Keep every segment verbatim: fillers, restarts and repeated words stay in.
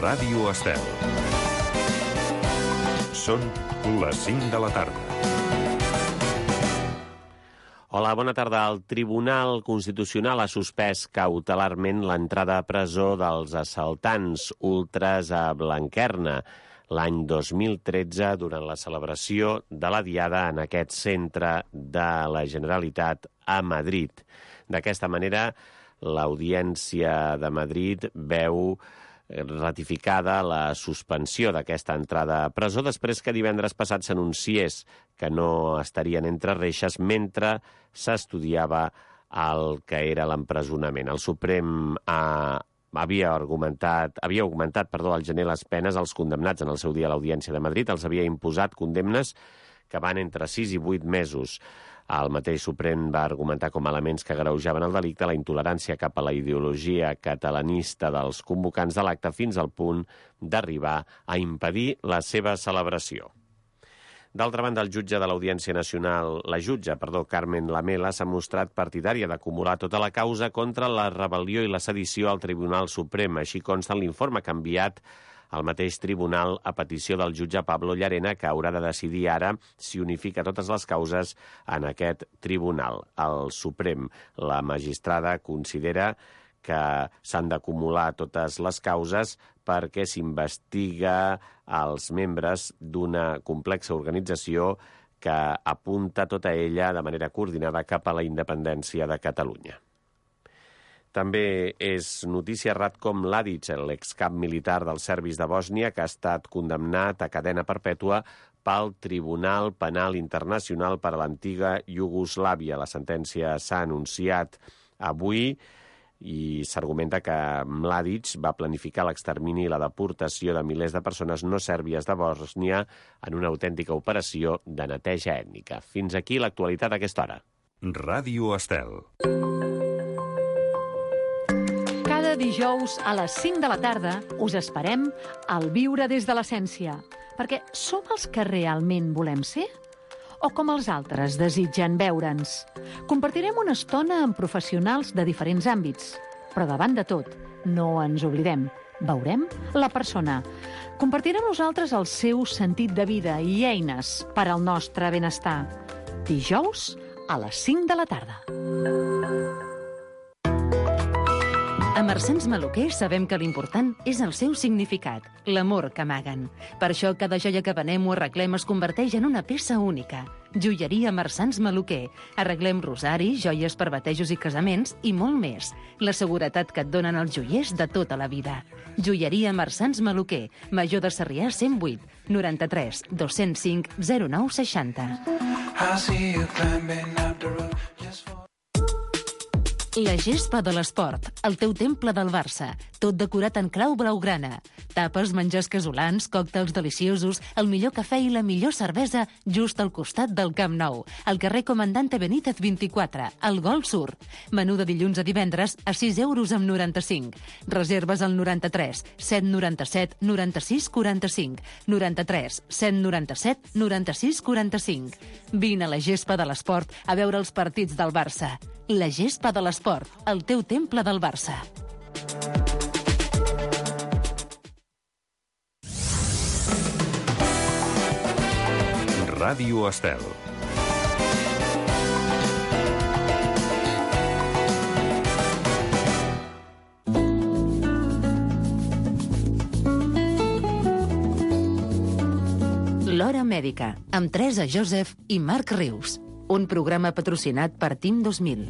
Ràdio Estel. Són les cinc de la tarda. Hola, bona tarda. El Tribunal Constitucional ha suspès cautelarment l'entrada a presó dels assaltants ultras a Blanquerna l'any dos mil tretze durant la celebració de la Diada en aquest centre de la Generalitat a Madrid. D'aquesta manera, l'Audiència de Madrid veu ratificada la suspensió d'aquesta entrada a presó després que divendres passat s'anunciés que no estarien entre reixes mentre s'estudiava el que era l'empresonament. El Suprem ha, havia argumentat, havia augmentat perdó, al gener les penes als condemnats en el seu dia a l'Audiència de Madrid. Els havia imposat condemnes que van entre sis i vuit mesos. El mateix Suprem va argumentar com a elements que agreujaven el delicte la intolerància cap a la ideologia catalanista dels convocants de l'acte fins al punt d'arribar a impedir la seva celebració. D'altra banda, el jutge de l'Audiència Nacional, la jutge, perdó, Carmen Lamela, s'ha mostrat partidària d'acumular tota la causa contra la rebel·lió i la sedició al Tribunal Suprem. Així consta en l'informe que ha enviat el mateix tribunal a petició del jutge Pablo Llarena, que haurà de decidir ara si unifica totes les causes en aquest tribunal. El Suprem, la magistrada, considera que s'han d'acumular totes les causes perquè s'investiga els membres d'una complexa organització que apunta tota ella de manera coordinada cap a la independència de Catalunya. També és notícia Ratko Mladic, l'excap militar dels serbis de Bòsnia, que ha estat condemnat a cadena perpètua pel Tribunal Penal Internacional per a l'antiga Iugoslàvia. La sentència s'ha anunciat avui i s'argumenta que Mladic va planificar l'extermini i la deportació de milers de persones no sèrbies de Bòsnia en una autèntica operació de neteja ètnica. Fins aquí l'actualitat a aquesta hora. Ràdio Estel. Cada dijous a les cinc de la tarda us esperem al Viure des de l'Essència, perquè som els que realment volem ser? O com els altres desitgen veure'ns? Compartirem una estona amb professionals de diferents àmbits, però davant de tot, no ens oblidem, veurem la persona. Compartirà amb nosaltres el seu sentit de vida i eines per al nostre benestar. Dijous a les cinc de la tarda. A Marsans Maluquer sabem que l'important és el seu significat, l'amor que amaguen. Per això cada joia que venem o arreglem es converteix en una peça única. Joieria Marsans Maluquer. Arreglem rosaris, joies per batejos i casaments i molt més. La seguretat que et donen els joiers de tota la vida. Joieria Marsans Maluquer. Major de Sarrià cent vuit, noranta-tres, dos-cents cinc, zero nou seixanta. La gespa de l'esport, el teu temple del Barça, tot decorat en clau blaugrana. Tapes, menjars casolans, còctels deliciosos, el millor cafè i la millor cervesa just al costat del Camp Nou, al carrer Comandante Benítez vint-i-quatre, al Gol Sur. Menú de dilluns a divendres a sis euros amb noranta-cinc. Reserves al noranta-tres, set noranta-set, noranta-sis, quaranta-cinc, noranta-tres, set noranta-set, noranta-sis, quaranta-cinc. Vine a la gespa de l'esport a veure els partits del Barça. La gespa de l'esport, el teu temple del Barça. Ràdio Estel. L'Hora Mèdica, amb Teresa Joseph i Marc Rius. Un programa patrocinat per Team dos mil.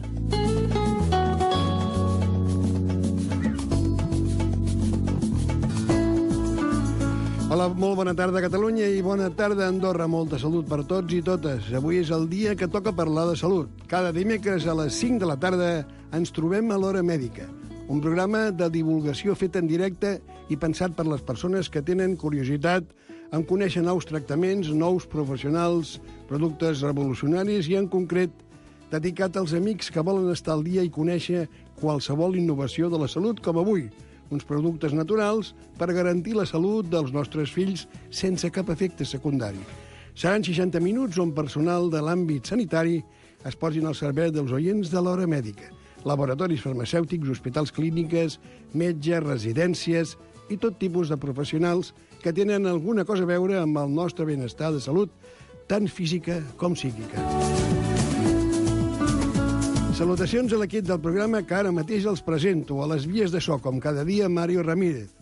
Hola, molt bona tarda Catalunya i bona tarda Andorra. Molta salut per tots i totes. Avui és el dia que toca parlar de salut. Cada dimecres a les cinc de la tarda ens trobem a l'Hora Mèdica, un programa de divulgació fet en directe i pensat per les persones que tenen curiositat en conèixer nous tractaments, nous professionals, productes revolucionaris i, en concret, dedicat als amics que volen estar al dia i conèixer qualsevol innovació de la salut, com avui, uns productes naturals per garantir la salut dels nostres fills sense cap efecte secundari. Seran seixanta minuts on personal de l'àmbit sanitari es posin al servei dels oients de l'Hora Mèdica. Laboratoris farmacèutics, hospitals clíniques, metges, residències i tot tipus de professionals que tenen alguna cosa a veure amb el nostre benestar de salut, tant física com psíquica. Salutacions a l'equip del programa que ara mateix els presento. A les vies de so, com cada dia, Mario Ramírez.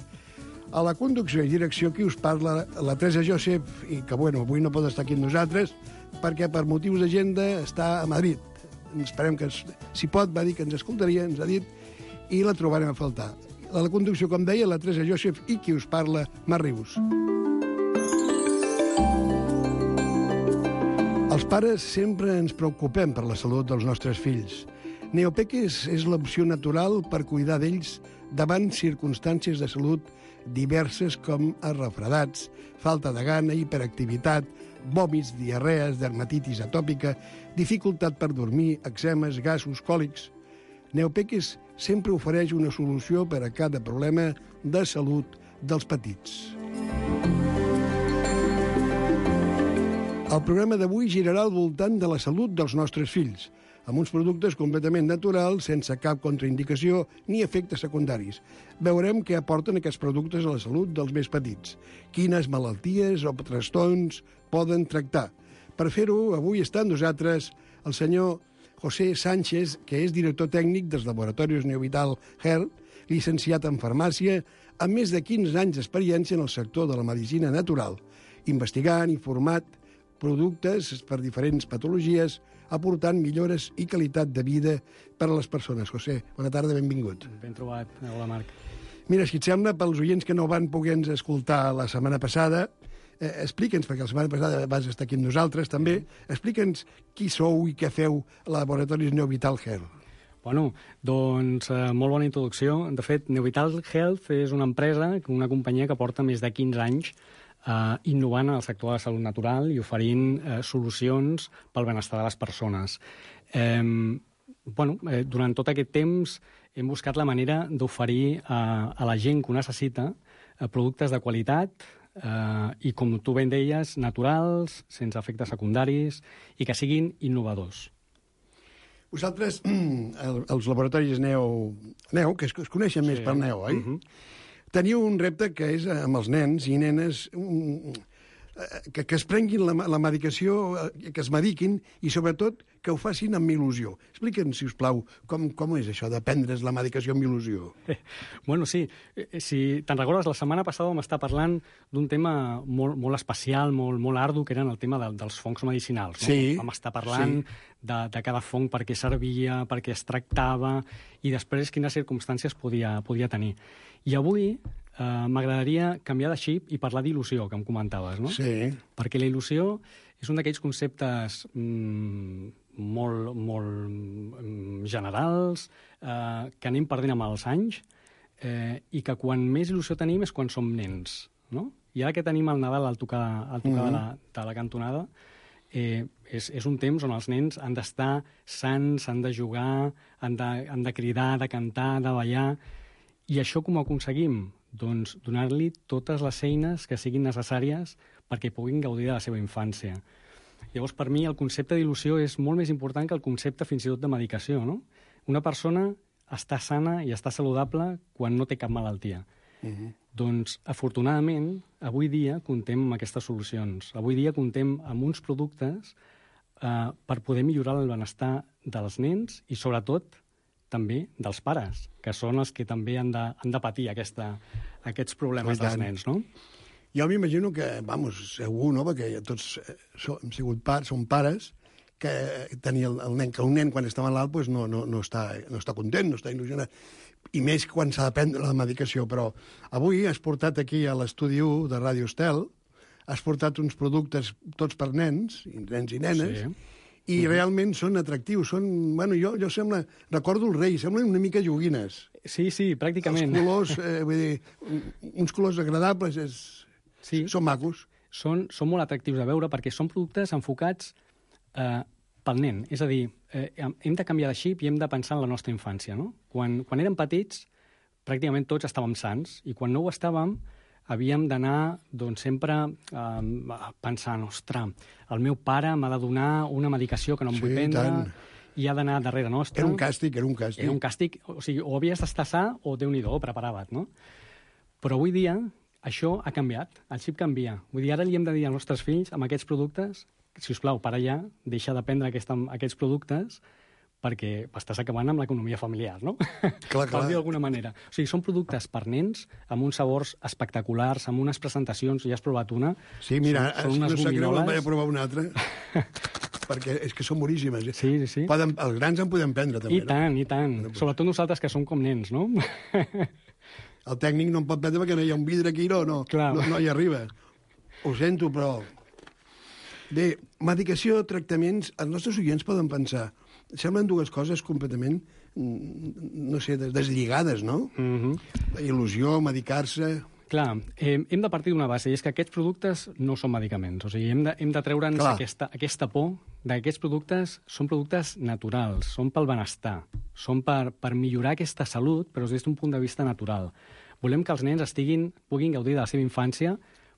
A la conducció i direcció qui us parla, la Teresa Josep, i que, bueno, avui no pot estar aquí amb nosaltres perquè per motius d'agenda està a Madrid. Esperem que, si pot, va dir que ens escoltaria, ens ha dit, i la trobarem a faltar. A la conducció, com deia, la Teresa Josep i qui us parla, Marc Rius. Els pares sempre ens preocupem per la salut dels nostres fills. Neopeques és l'opció natural per cuidar d'ells davant circumstàncies de salut diverses com refredats, falta de gana, hiperactivitat, vòmits, diarrees, dermatitis atòpica, dificultat per dormir, eczemes, gasos, còlics. Neopeques sempre ofereix una solució per a cada problema de salut dels petits. El programa d'avui girarà al voltant de la salut dels nostres fills, amb uns productes completament naturals, sense cap contraindicació ni efectes secundaris. Veurem què aporten aquests productes a la salut dels més petits, quines malalties o trastorns poden tractar. Per fer-ho, avui està amb nosaltres el senyor José Sánchez, que és director tècnic dels laboratoris Neovital Health, llicenciat en farmàcia, amb més de quinze anys d'experiència en el sector de la medicina natural, investigant i format productes per diferents patologies, aportant millores i qualitat de vida per a les persones. José, bona tarda, benvingut. Ben trobat. Hola, Marc. Mira, si et sembla, pels oients que no van poder-nos escoltar la setmana passada, eh, explica'ns, perquè la setmana passada vas estar aquí amb nosaltres també, explica'ns qui sou i què feu a Laboratoris Neovital Health. Bueno, doncs eh, molt bona introducció. De fet, Neovital Health és una empresa, una companyia que porta més de quinze anys Uh, innovant en el sector de la salut natural i oferint uh, solucions pel benestar de les persones. Um, bueno, eh, durant tot aquest temps hem buscat la manera d'oferir uh, a la gent que ho necessita uh, productes de qualitat uh, i, com tu ben deies, naturals, sense efectes secundaris i que siguin innovadors. Vosaltres, els laboratoris Neo, Neo que es, es coneixen més sí. per Neo, oi? Uh-huh. Teniu un repte que és amb els nens i nenes un, que, que es prenguin la, la medicació, que es mediquin i, sobretot, que ho facin amb il·lusió. Explica'ns, si us plau, com, com és això de prendre's la medicació amb il·lusió. Eh, bueno, sí. Si te'n recordes, la setmana passada vam estar parlant d'un tema molt, molt especial, molt, molt ardu, que eren el tema de, dels fongs medicinals. No? Sí. Vam estar parlant sí. de, de cada fong, per què servia, per què es tractava, i després quines circumstàncies podia, podia tenir. I avui eh, m'agradaria canviar de xip i parlar d'il·lusió, que em comentaves, no? Sí. Perquè la il·lusió és un d'aquells conceptes mmm, molt, molt mm, generals, eh, que anem perdent amb els anys, eh, i que quan més il·lusió tenim és quan som nens, no? I ara que tenim el Nadal al tocar, al tocar mm-hmm. de, la, de la cantonada, eh, és, és un temps on els nens han d'estar sants, han de jugar, han de, han de cridar, de cantar, de ballar. I això com ho aconseguim? Doncs donar-li totes les eines que siguin necessàries perquè puguin gaudir de la seva infància. Llavors, per mi, el concepte d'il·lusió és molt més important que el concepte fins i tot de medicació, no? Una persona està sana i està saludable quan no té cap malaltia. Uh-huh. Doncs, afortunadament, avui dia contem amb aquestes solucions. Avui dia contem amb uns productes eh, per poder millorar el benestar dels nens i, sobretot, també dels pares, que són els que també han de, han de patir aquesta, aquests problemes dels nens, no? Jo m'imagino que, vamos, segur, no?, perquè tots som, hem sigut pares, som pares, que tenir el, el nen, que un nen quan està malalt pues, no, no, no, està, no està content, no està il·lusionat, i més quan s'ha de prendre la medicació. Però avui has portat aquí a l'estudi u de Ràdio Estel, has portat uns productes tots per nens, nens i nenes, sí. I uh-huh. realment són atractius, són... Bueno, jo, jo sembla... Recordo el rei, semblen una mica joguines. Sí, sí, pràcticament. Els colors, eh, vull dir, uns colors agradables, és... sí. Són macos. Són, són molt atractius de veure perquè són productes enfocats eh, pel nen. És a dir, eh, hem de canviar de xip i hem de pensar en la nostra infància, no? Quan, quan érem petits, pràcticament tots estàvem sants, i quan no ho estàvem, havíem d'anar doncs, sempre eh, pensant, ostres, el meu pare m'ha de donar una medicació que no em sí, vull prendre, tant. I ha d'anar darrere nostre. Era un càstig, era un càstig. Era un càstig, o sigui, o havies d'estar sa o Déu-n'hi-do, prepara't, no? Però avui dia això ha canviat, el xip canvia. Vull dir, ara li hem de dir als nostres fills, amb aquests productes, si us plau, para ja, deixa de prendre aquesta, aquests productes, perquè estàs acabant amb l'economia familiar, no? Clar, clar. Per dir d'alguna manera. O sigui, són productes per nens, amb uns sabors espectaculars, amb unes presentacions, ja has provat una. Sí, mira, són, són si unes no sap greu, gominoles. en vaig a provar una altra, perquè és que són boníssimes. Eh? Sí, sí, sí. Poden, els grans en podem prendre, també. I tant, i tant. Sobretot nosaltres, que som com nens, no? El tècnic no en pot prendre perquè no hi ha un vidre aquí, no, no, Clar. no, no hi arriba. Ho sento, però... Bé, medicació, tractaments, els nostres oients poden pensar... Semblen dues coses completament, no sé, des- deslligades, no? Mhm. Il·lusió, medicar-se... Clar, eh, hem de partir d'una base, i és que aquests productes no són medicaments. O sigui, hem de, hem de treure'ns Clar. aquesta, aquesta por que aquests productes són productes naturals, són pel benestar, són per, per millorar aquesta salut, però des d'un punt de vista natural. Volem que els nens estiguin, puguin gaudir de la seva infància,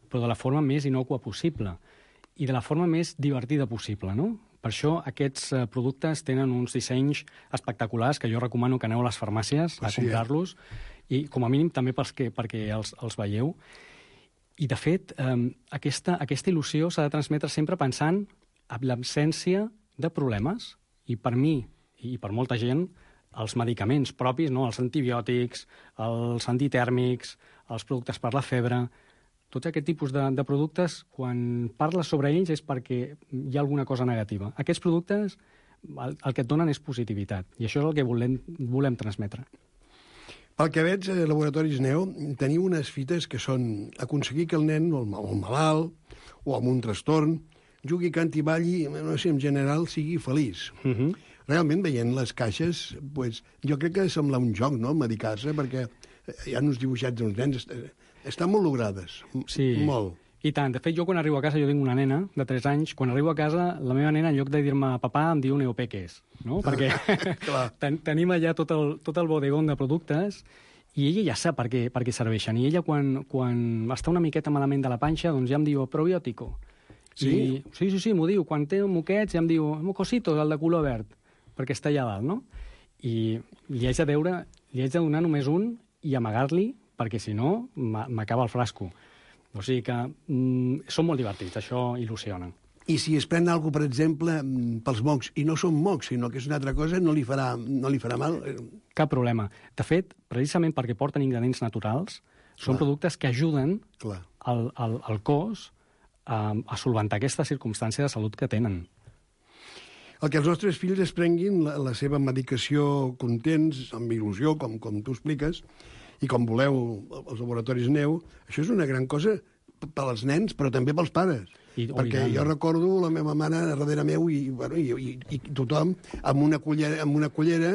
però de la forma més innocua possible i de la forma més divertida possible, no? Per això aquests eh, productes tenen uns dissenys espectaculars que jo recomano que aneu a les farmàcies a Ah, sí, eh? comprar-los, i com a mínim també pels que, perquè els, els veieu. I, de fet, eh, aquesta, aquesta il·lusió s'ha de transmetre sempre pensant en l'absència de problemes. I per mi, i per molta gent, els medicaments propis, no? Els antibiòtics, els antitèrmics, els productes per la febre, tots aquest tipus de, de productes, quan parles sobre ells és perquè hi ha alguna cosa negativa. Aquests productes el, el que et donen és positivitat, i això és el que volem, volem transmetre. Pel que veig, a Laboratoris Neo teniu unes fites que són aconseguir que el nen, o el, mal- o el malalt, o amb un trastorn, jugui, canti, balli, no sé, en general, sigui feliç. Uh -huh. Realment, veient les caixes, pues, jo crec que sembla un joc, no?, medicar-se, perquè hi ha uns dibuixats d'uns nens, est- estan molt logrades, m- Sí. molt. I tant. De fet, jo quan arribo a casa, jo tinc una nena de tres anys, quan arribo a casa, la meva nena, en lloc de dir-me papà, em diu neopeques, no? Perquè Clar. ten tenim allà tot el, tot el bodegón de productes i ella ja sap per què, per què serveixen. I ella, quan, quan està una miqueta malament de la panxa, doncs ja em diu probiòtico. Sí? I, sí, sí, sí, m'ho diu. Quan té moquets ja em diu mocosito, el de color verd, perquè està allà dalt, no? I li haig de deure, li haig de donar només un i amagar-li, perquè si no m'a- m'acaba el frasco. O sigui que mm, són molt divertits, això il·lusiona. I si es pren alguna cosa, per exemple, mm, pels mocs, i no són mocs, sinó que és una altra cosa, no li farà, no li farà mal? Eh, Cap problema. De fet, precisament perquè porten ingredients naturals, són Clar. productes que ajuden Clar. al, al, al cos a, a solventar aquesta circumstància de salut que tenen. El que els nostres fills es prenguin la, la seva medicació contents, amb il·lusió, com, com tu expliques, i com voleu els laboratoris Neu, això és una gran cosa p- per als nens, però també pels pares. I- oh, Perquè i tant. jo recordo la meva mare darrere meu i, bueno, i, i, i tothom amb una cullera, amb una cullera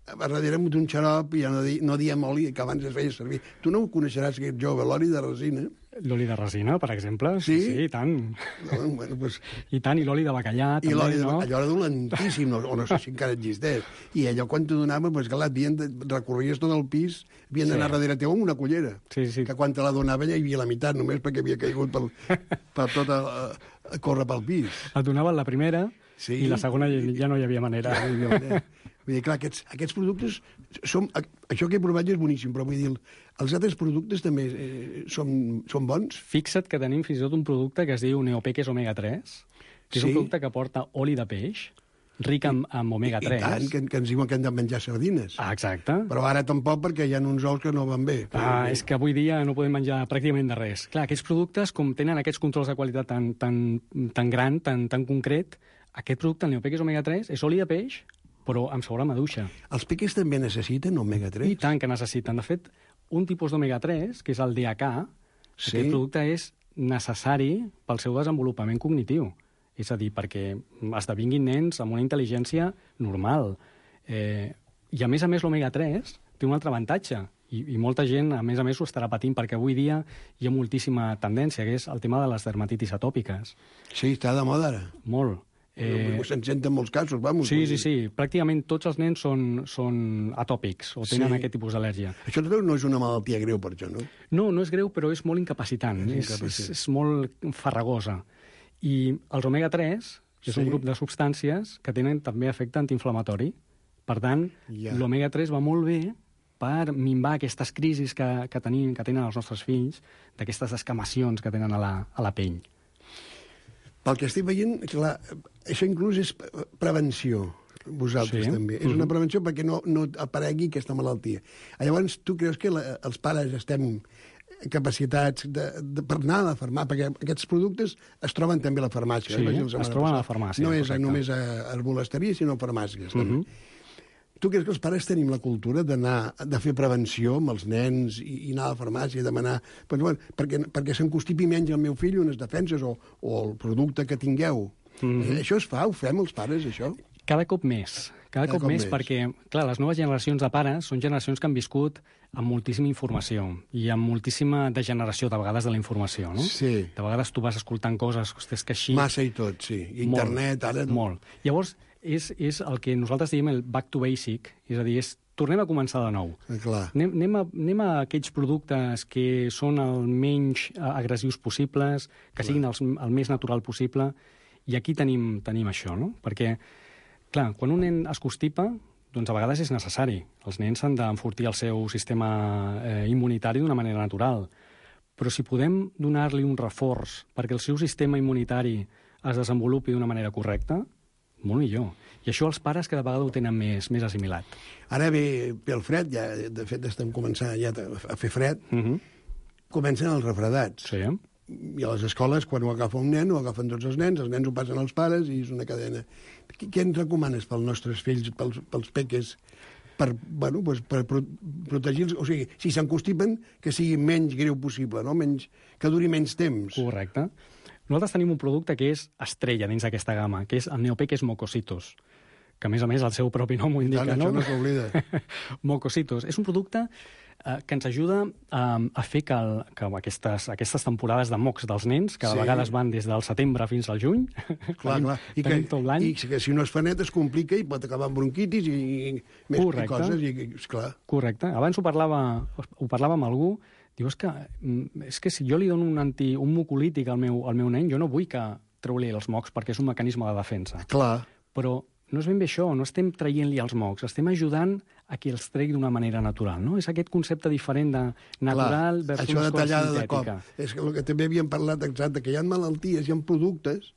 a darrere d'un xarop, i ja no, di, no diem oli, que abans es feia servir. Tu no ho coneixeràs, aquest jove, l'oli de resina. L'oli de resina, per exemple. Sí, Sí? sí, i tant. No? Bueno, pues, I tant, i l'oli de bacallà, I també, l'oli de, no? allò era dolentíssim, no, o no sé si encara existeix. I allò, quan t'ho donava, pues, clar, havien de, recorries tot el pis, havien d'anar Sí. darrere teu amb una cullera. Sí, sí. Que quan te la donava ja hi havia la meitat, només perquè havia caigut pel, per tot a, a córrer pel pis. Et donaven la primera Sí. i la segona ja no hi havia manera. Ja no hi havia manera. Vull dir, clar, aquests, aquests productes, som, això que he provat ja és boníssim, però vull dir, els altres productes també eh, són, són bons? Fixa't que tenim fins i tot un producte que es diu Neopeques Omega tres, que és Sí. un producte que porta oli de peix, ric en, en omega tres. I tant, que, que ens diuen que hem de menjar sardines. Ah, exacte. Però ara tampoc, perquè hi ha uns ous que no van bé. Ah, és que avui dia no podem menjar pràcticament de res. Clar, aquests productes, com tenen aquests controls de qualitat tan, tan, tan gran, tan, tan concret, aquest producte, el Neopeques Omega tres, és oli de peix, però amb sabor a maduixa. Els peques també necessiten omega tres? I tant que necessiten. De fet, un tipus d'omega tres, que és el D H A, Sí. aquest producte és necessari pel seu desenvolupament cognitiu. És a dir, perquè esdevinguin nens amb una intel·ligència normal. Eh, I, a més a més, l'omega tres té un altre avantatge, i, i molta gent, a més a més, ho estarà patint, perquè avui dia hi ha moltíssima tendència, que és el tema de les dermatitis atòpiques. Sí, està de moda ara. Molt. Eh... Se'n senten molts casos, vamos. Sí, sí, sí. Pràcticament tots els nens són, són atòpics o tenen Sí. aquest tipus d'al·lèrgia. Això no és una malaltia greu, per això, no? No, no és greu, però és molt incapacitant. És És, és, incapacitant. és molt farragosa. I els omega tres és Sí. un grup de substàncies que tenen també efecte antiinflamatori. Per tant, Ja. l'omega tres va molt bé per minvar aquestes crisis que, que, tenim, que tenen els nostres fills, d'aquestes escamacions que tenen a la, a la pell. Pel que estic veient, clar, això inclús és prevenció, vosaltres Sí. també. És una prevenció perquè no, no aparegui aquesta malaltia. Llavors, tu creus que la, els pares estem capacitats de, de, per anar a la farmàcia, perquè aquests productes es troben també a la farmàcia. Sí, eh? Vaig dir la es setmana troben a la passada. farmàcia, No és correcte. només a herbolasteria, sinó a farmàcies. Mhm. també. Tu creus que els pares tenim la cultura d'anar, de fer prevenció amb els nens i, i anar a la farmàcia i demanar... Pues, bueno, perquè perquè s'encostipi menys el meu fill unes defenses o, o el producte que tingueu. Mhm. Eh, això es fa? Ho fem els pares, això? Cada cop més. Cada, Cada cop, cop més, més. perquè, clar, les noves generacions de pares són generacions que han viscut amb moltíssima informació i amb moltíssima degeneració, de vegades, de la informació, no? Sí. De vegades tu vas escoltant coses, ostres, que així... Massa i tot, sí. I internet, molt, ara... Molt. Llavors, és, és el que nosaltres diem el back to basic, és a dir, és tornem a començar de nou. Eh, Clar. Anem, anem, a, anem a aquells productes que són el menys eh, agressius possibles, que siguin els, el més natural possible, i aquí tenim, tenim això, no? Perquè, clar, quan un nen es constipa, doncs a vegades és necessari. Els nens han d'enfortir el seu sistema eh, immunitari d'una manera natural. Però si podem donar-li un reforç perquè el seu sistema immunitari es desenvolupi d'una manera correcta, molt millor. I això els pares cada vegada ho tenen més, més assimilat. Ara ve, ve el fred, ja, de fet estem començant ja a fer fred, Uh -huh. comencen els refredats. Sí. I a les escoles, quan ho agafa un nen, ho agafen tots els nens, els nens ho passen als pares i és una cadena. Què, què ens recomanes pels nostres fills, pels, pels peques, per, bueno, pues, per pro protegir-los? O sigui, si s'encostipen, que sigui menys greu possible, no? Menys, que duri menys temps. Correcte. Nosaltres tenim un producte que és estrella dins d'aquesta gamma, que és el Neopeques Mocositos, que a més a més el seu propi nom ho indica, Tant, no? això no s'oblida. Mocositos. És un producte eh, que ens ajuda eh, a fer que, el, que aquestes, aquestes temporades de mocs dels nens, que a Sí. vegades van des del setembre fins al juny, Clar, tenim, clar. I que, tenim tot l'any. I que si no es fa net es complica i pot acabar amb bronquitis i, i més Correcte. coses. I, esclar. Correcte. Abans ho parlava, ho parlava amb algú, diu, és que, mm, és que si jo li dono un, anti, un mucolític al meu, al meu nen, jo no vull que treu-li els mocs perquè és un mecanisme de defensa. Clar. Però no és ben bé això, no estem traient-li els mocs, estem ajudant a que els tregui d'una manera natural, no? És aquest concepte diferent de natural Clar, versus això de cosa tallada de cop. sintètica. És que el que també havíem parlat exacte, que hi ha malalties, hi ha productes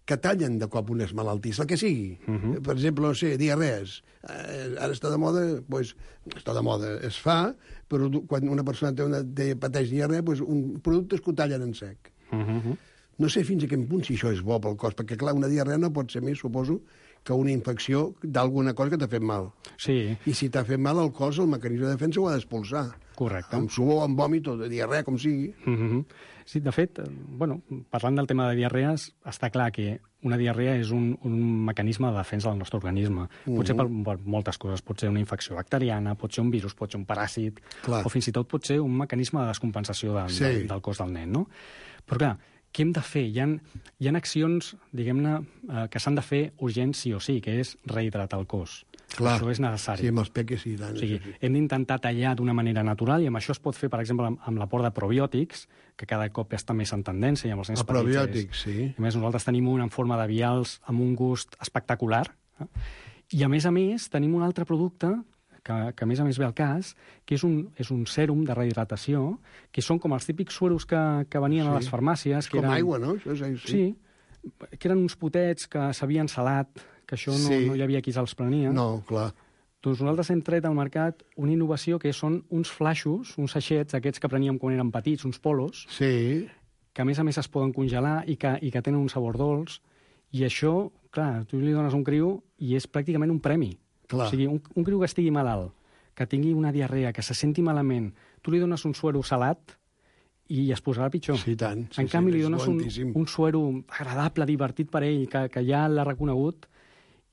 que tallen de cop unes malalties, el que sigui. Uh -huh. Per exemple, no sé, diarrees. Eh, ara està de moda, doncs, està de moda, es fa, però quan una persona té una, té, pateix diarrea, doncs un productes que ho tallen en sec. Uh -huh. No sé fins a quin punt si això és bo pel cos, perquè, clar, una diarrea no pot ser més, suposo, que una infecció d'alguna cosa que t'ha fet mal. Sí, I si t'ha fet mal el cos, el mecanisme de defensa ho ha d'expulsar. correcte. Amb suor, amb vòmit o de diarrea, com sigui. Uh -huh. Sí, de fet, eh, bueno, parlant del tema de diarrees, està clar que una diarrea és un, un mecanisme de defensa del nostre organisme. Pot ser per, per moltes coses. Pot ser una infecció bacteriana, pot ser un virus, pot ser un paràsit, Clar. o fins i tot pot ser un mecanisme de descompensació del, Sí. del, del cos del nen, no? Però clar, què hem de fer? Hi ha, hi ha accions, diguem-ne, eh, que s'han de fer urgents sí o sí, que és rehidratar el cos. Clar. Això és necessari. Sí, amb els peques sí, tant. O sigui, això sí. hem d'intentar tallar d'una manera natural i amb això es pot fer, per exemple, amb, amb l'aport de probiòtics, que cada cop està més en tendència i amb els nens El petits. probiòtic, és- sí. A més, nosaltres tenim un en forma de vials amb un gust espectacular. Eh? I, a més a més, tenim un altre producte que, que a més a més ve al cas, que és un, és un sèrum de rehidratació, que són com els típics sueros que, que venien Sí. a les farmàcies. És que com eren, aigua, no? Això és, sí. Sí, que eren uns potets que s'havien salat, que això no, Sí. no hi havia qui se'ls prenia. No, clar. Doncs nosaltres hem tret al mercat una innovació que són uns flaixos, uns sachets, aquests que preníem quan érem petits, uns polos, Sí. que a més a més es poden congelar i que, i que tenen un sabor dolç. I això, clar, tu li dones a un criu i és pràcticament un premi. Clar. O sigui, un, un criu que estigui malalt, que tingui una diarrea, que se senti malament, tu li dones un suero salat i es posarà pitjor. Sí, tant. Sí, en canvi, sí, li és dones un, lentíssim. un suero agradable, divertit per ell, que, que ja l'ha reconegut,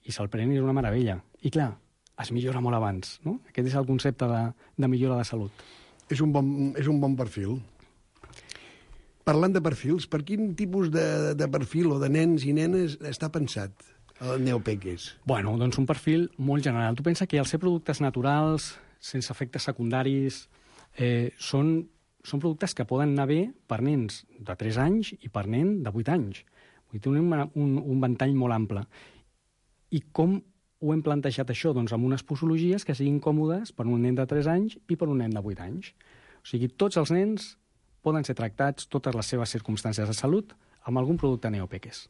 i se'l pren i és una meravella. I clar, es millora molt abans, no? Aquest és el concepte de, de millora de salut. És un bon, és un bon perfil. Parlant de perfils, per quin tipus de, de perfil o de nens i nenes està pensat el Neopeques? Bueno, doncs un perfil molt general. Tu pensa que al ser productes naturals, sense efectes secundaris, eh, són, són productes que poden anar bé per nens de tres anys i per nen de vuit anys. Vull dir, tenim un, un, un ventall molt ample. I com ho hem plantejat això doncs, amb unes posologies que siguin còmodes per un nen de tres anys i per un nen de vuit anys. O sigui, tots els nens poden ser tractats, totes les seves circumstàncies de salut, amb algun producte Neopeques.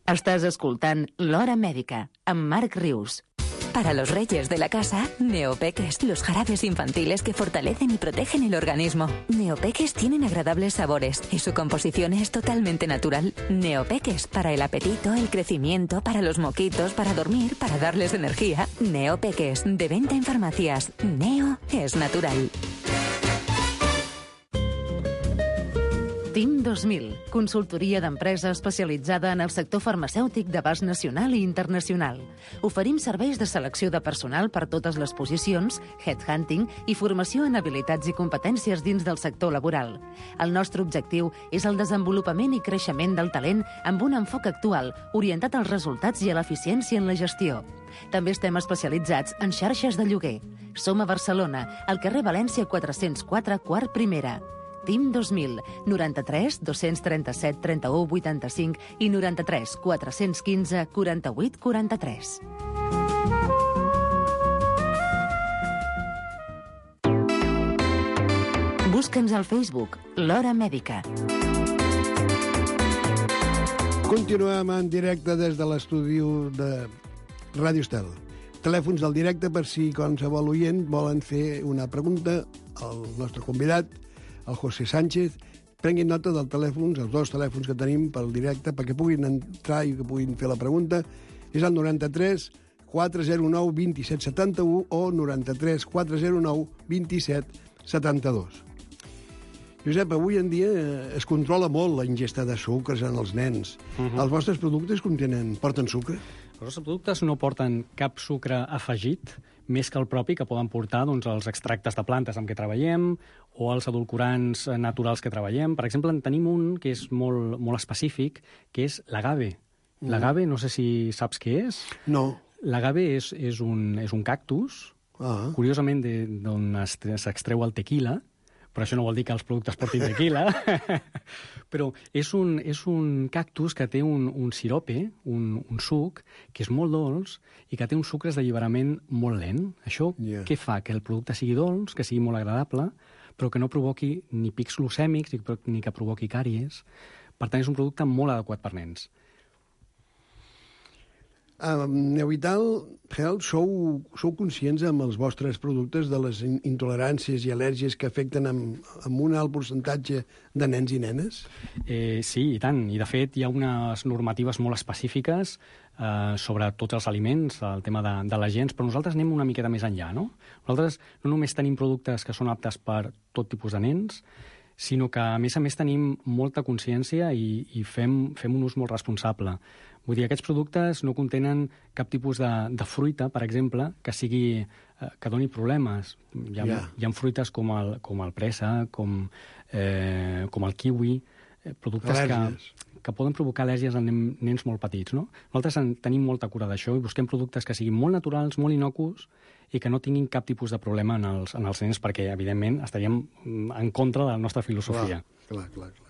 Estàs escoltant L'Hora Mèdica, amb Marc Rius. Para los reyes de la casa, Neopeques, los jarabes infantiles que fortalecen y protegen el organismo. Neopeques tienen agradables sabores y su composición es totalmente natural. Neopeques, para el apetito, el crecimiento, para los moquitos, para dormir, para darles energía. Neopeques, de venta en farmacias. Neo es natural. TIM dos mil, consultoria d'empresa especialitzada en el sector farmacèutic d'abast nacional i internacional. Oferim serveis de selecció de personal per totes les posicions, headhunting i formació en habilitats i competències dins del sector laboral. El nostre objectiu és el desenvolupament i creixement del talent amb un enfoc actual, orientat als resultats i a l'eficiència en la gestió. També estem especialitzats en xarxes de lloguer. Som a Barcelona, al carrer València quatre-cents quatre, quart primera. TIM dos mil, noranta-tres dos-cents trenta-set trenta-u vuitanta-cinc i noranta-tres quatre-cents quinze quaranta-vuit quaranta-tres. Busca'ns al Facebook, L'Hora Mèdica. Continuem en directe des de l'estudi de Ràdio Estel. Telèfons del directe per si qualsevol oient volen fer una pregunta al nostre convidat, el José Sánchez. Prenguin nota del telèfon, els dos telèfons que tenim pel directe, perquè puguin entrar i que puguin fer la pregunta. És el noranta-tres quatre zero nou vint-i-set setanta-u o noranta-tres quatre zero nou vint-i-set setanta-dos. Josep, avui en dia es controla molt la ingesta de sucres en els nens. Uh-huh. Els vostres productes contenen, porten sucre? Els nostres productes no porten cap sucre afegit, més que el propi que poden portar doncs, els extractes de plantes amb què treballem o els edulcorants naturals que treballem. Per exemple, en tenim un que és molt, molt específic, que és l'agave. Mm. L'agave, no sé si saps què és. No. L'agave és, és, un, és un cactus, ah. curiosament d'on s'extreu el tequila, però això no vol dir que els productes portin tequila, però és un, és un cactus que té un, un sirope, un, un suc, que és molt dolç i que té uns sucres d'alliberament molt lent. Això yeah. què fa? Que el producte sigui dolç, que sigui molt agradable, però que no provoqui ni pics glucèmics ni, ni que provoqui càries. Per tant, és un producte molt adequat per nens. A Neovital Health sou, sou conscients amb els vostres productes de les intoleràncies i al·lèrgies que afecten amb, amb un alt percentatge de nens i nenes? Eh, sí, i tant. I, de fet, hi ha unes normatives molt específiques eh, sobre tots els aliments, el tema de, de les gens, però nosaltres anem una miqueta més enllà, no? Nosaltres no només tenim productes que són aptes per tot tipus de nens, sinó que, a més a més, tenim molta consciència i, i fem, fem un ús molt responsable. Vull dir, aquests productes no contenen cap tipus de, de fruita, per exemple, que sigui eh, que doni problemes. Hi ha, yeah. hi ha fruites com el, com el pressa, com, eh, com el kiwi, eh, productes que, que poden provocar al·lèrgies en nens molt petits. No? Nosaltres en tenim molta cura d'això i busquem productes que siguin molt naturals, molt innocus i que no tinguin cap tipus de problema en els, en els nens, perquè, evidentment, estaríem en contra de la nostra filosofia. Clar, clar, clar.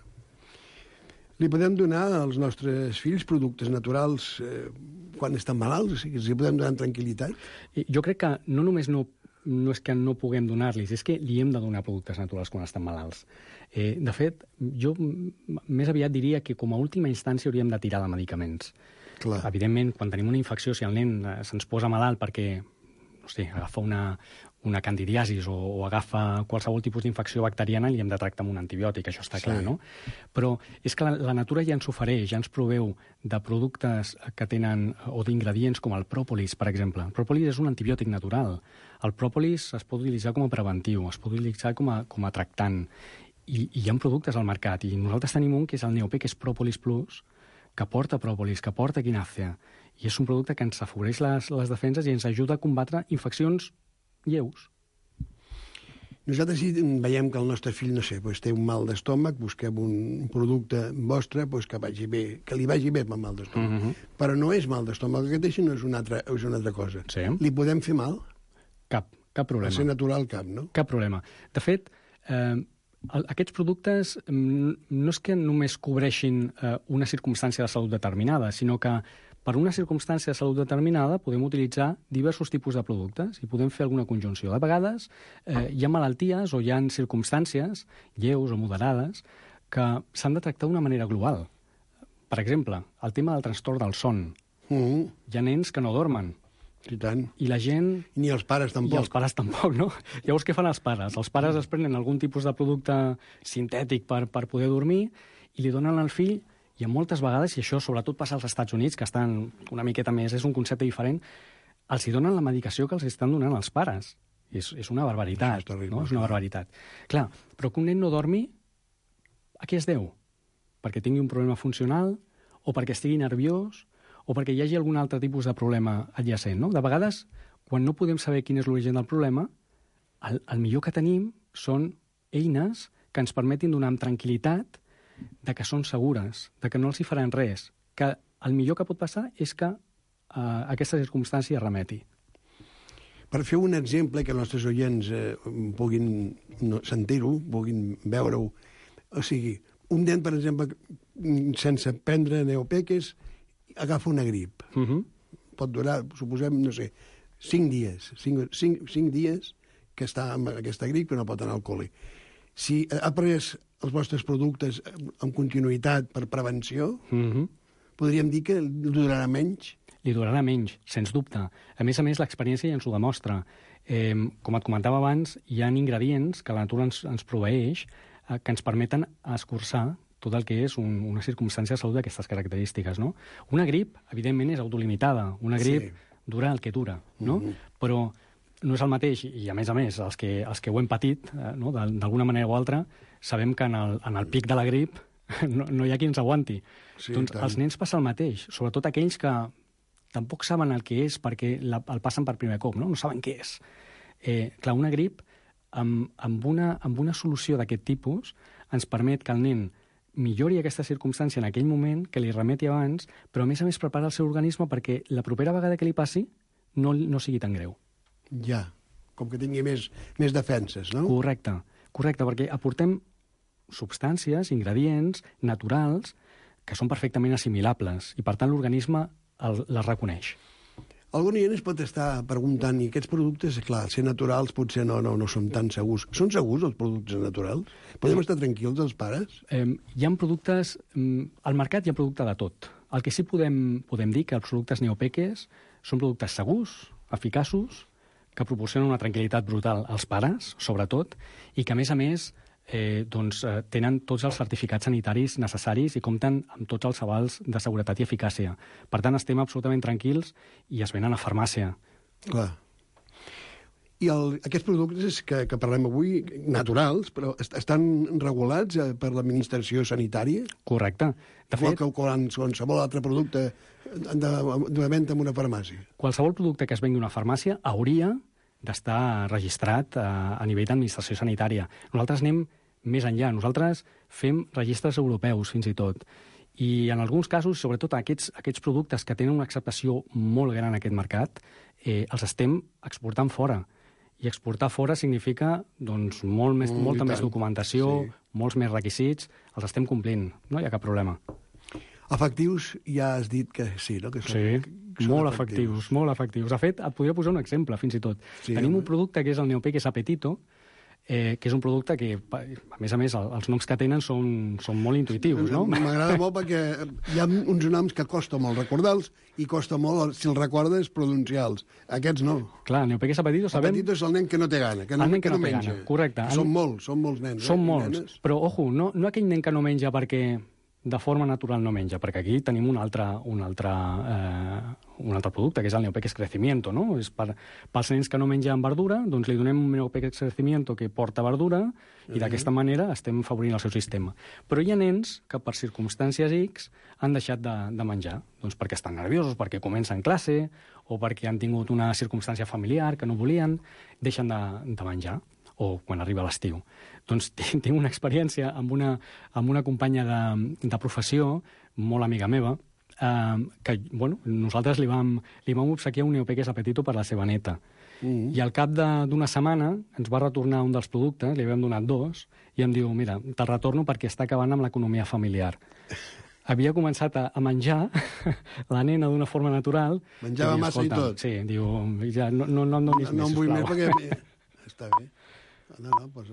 Li podem donar als nostres fills productes naturals eh, quan estan malalts? O sigui, els podem donar tranquil·litat? Jo crec que no només no, no és que no puguem donar-los, és que li hem de donar productes naturals quan estan malalts. Eh, de fet, jo més aviat diria que com a última instància hauríem de tirar de medicaments. Clar. Evidentment, quan tenim una infecció, si el nen se'ns posa malalt perquè no sé, agafa una, una candidiasis o, o agafa qualsevol tipus d'infecció bacteriana, li hem de tractar amb un antibiòtic, això està clar, sí. no? Però és que la, la natura ja ens ofereix, ja ens proveu de productes que tenen, o d'ingredients com el pròpolis, per exemple. El pròpolis és un antibiòtic natural. El pròpolis es pot utilitzar com a preventiu, es pot utilitzar com a, com a tractant. I, I hi ha productes al mercat, i nosaltres tenim un que és el Neopec, que és Pròpolis Plus, que porta pròpolis, que porta quinàcea, i és un producte que ens afavoreix les, les defenses i ens ajuda a combatre infeccions lleus. Nosaltres si veiem que el nostre fill, no sé, doncs té un mal d'estómac, busquem un producte vostre doncs que, vagi bé, que li vagi bé amb el mal d'estómac. Uh-huh. Però no és mal d'estómac que té, sinó és una altra, és una altra cosa. Sí. Li podem fer mal? Cap, cap problema. Per ser natural, cap, no? Cap problema. De fet, eh, aquests productes no és que només cobreixin eh, una circumstància de salut determinada, sinó que per una circumstància de salut determinada podem utilitzar diversos tipus de productes i podem fer alguna conjunció. De vegades eh, hi ha malalties o hi ha circumstàncies lleus o moderades que s'han de tractar d'una manera global. Per exemple, el tema del trastorn del son. Mm. Hi ha nens que no dormen. I tant. I la gent... Ni els pares tampoc. I els pares tampoc, no? Llavors, què fan els pares? Els pares es prenen algun tipus de producte sintètic per, per poder dormir i li donen al fill, i moltes vegades, i això sobretot passa als Estats Units, que estan una miqueta més, és un concepte diferent, els hi donen la medicació que els estan donant els pares. És, és una barbaritat, és terrible, no? És una barbaritat. Clar, però que un nen no dormi, a què es deu? Perquè tingui un problema funcional o perquè estigui nerviós o perquè hi hagi algun altre tipus de problema adjacent, no? De vegades, quan no podem saber quin és l'origen del problema, el, el millor que tenim són eines que ens permetin donar amb tranquil·litat de que són segures, de que no els hi faran res, que el millor que pot passar és que eh, aquesta circumstància es remeti. Per fer un exemple que els nostres oients eh, puguin no, sentir-ho, puguin veure-ho, o sigui, un nen, per exemple, sense prendre neopeques, agafa una grip. Uh -huh. Pot durar, suposem, no sé, cinc dies. Cinc, cinc, cinc dies que està amb aquesta grip que no pot anar al col·le. Si ha pres els vostres productes amb continuïtat per prevenció, Uh -huh. podríem dir que durarà menys? Li durarà menys, sens dubte. A més a més, l'experiència ja ens ho demostra. Eh, com et comentava abans, hi ha ingredients que la natura ens, ens proveeix eh, que ens permeten escurçar tot el que és un, una circumstància de salut d'aquestes característiques, no? Una grip, evidentment, és autolimitada. Una grip sí. dura el que dura, no? Mm -hmm. Però no és el mateix, i a més a més, els que, els que ho hem patit, eh, no? d'alguna manera o altra, sabem que en el, en el pic de la grip no, no hi ha qui ens aguanti. Sí, doncs tant. als nens passa el mateix, sobretot aquells que tampoc saben el que és perquè la, el passen per primer cop, no? No saben què és. Eh, clar, una grip amb, amb, una, amb una solució d'aquest tipus ens permet que el nen millori aquesta circumstància en aquell moment, que li remeti abans, però a més a més prepara el seu organisme perquè la propera vegada que li passi no, no sigui tan greu. Ja, com que tingui més, més defenses, no? Correcte, correcte, perquè aportem substàncies, ingredients naturals que són perfectament assimilables i, per tant, l'organisme el, les reconeix. Algun oient es pot estar preguntant, i aquests productes, clar, ser naturals potser no, no, no són tan segurs. Són segurs els productes naturals? Podem estar tranquils els pares? Eh, hi ha productes... Al mercat hi ha producte de tot. El que sí podem, podem dir que els productes neopeques són productes segurs, eficaços, que proporcionen una tranquil·litat brutal als pares, sobretot, i que, a més a més, eh, doncs, eh, tenen tots els certificats sanitaris necessaris i compten amb tots els avals de seguretat i eficàcia. Per tant, estem absolutament tranquils i es venen a farmàcia. Clar. I el, aquests productes que, que parlem avui, naturals, però est estan regulats eh, per l'administració sanitària? Correcte. De Igual fet, que qualsevol altre producte de, de venda en una farmàcia. Qualsevol producte que es vengui a una farmàcia hauria d'estar registrat a, a nivell d'administració sanitària. Nosaltres anem més enllà. Nosaltres fem registres europeus, fins i tot. I en alguns casos, sobretot aquests, aquests productes que tenen una acceptació molt gran en aquest mercat, eh, els estem exportant fora. I exportar fora significa doncs, molt més, mm, molta més documentació, sí. molts més requisits, els estem complint, no hi ha cap problema. Efectius, ja has dit que sí, no? Que són, Sí, que són molt efectius. efectius, molt efectius. De fet, et podria posar un exemple, fins i tot. Sí, Tenim home. un producte que és el Neopeques Apetito, eh, que és un producte que, a més a més, el, els noms que tenen són, són molt intuitius, no? M'agrada molt perquè hi ha uns noms que costa molt recordar-los i costa molt, si els recordes, pronunciar-los. Aquests no. Clar, Neopeques Apetito sabem... Apetito és el nen que no té gana, que no, El nen que que no no té menja. gana, correcte. Que són molts, són molts nens. Són eh, i molts, nenes. però, ojo, no, no aquell nen que no menja perquè de forma natural no menja, perquè aquí tenim un altre, un altre, eh, un altre producte, que és el Neopeques Crecimiento, no? És per, pels nens que no mengen verdura, doncs li donem un Neopeques Crecimiento que porta verdura i Mhm. d'aquesta manera estem favorint el seu sistema. Però hi ha nens que per circumstàncies X han deixat de, de menjar, doncs perquè estan nerviosos, perquè comencen classe o perquè han tingut una circumstància familiar que no volien, deixen de, de menjar, o quan arriba l'estiu. Doncs tinc una experiència amb una, amb una companya de, de professió, molt amiga meva, eh, que bueno, nosaltres li vam, li vam obsequiar un Neopeques Apetito per la seva neta. Mm. I al cap d'una setmana ens va retornar un dels productes, li havíem donat dos, i em diu, mira, te'l retorno perquè està acabant amb l'economia familiar. havia començat a, a menjar la nena d'una forma natural. Menjava i, massa i tot. Sí, diu, ja, no, no, no em donis no, no més, em vull sisplau. més perquè... Està bé. No, no, doncs,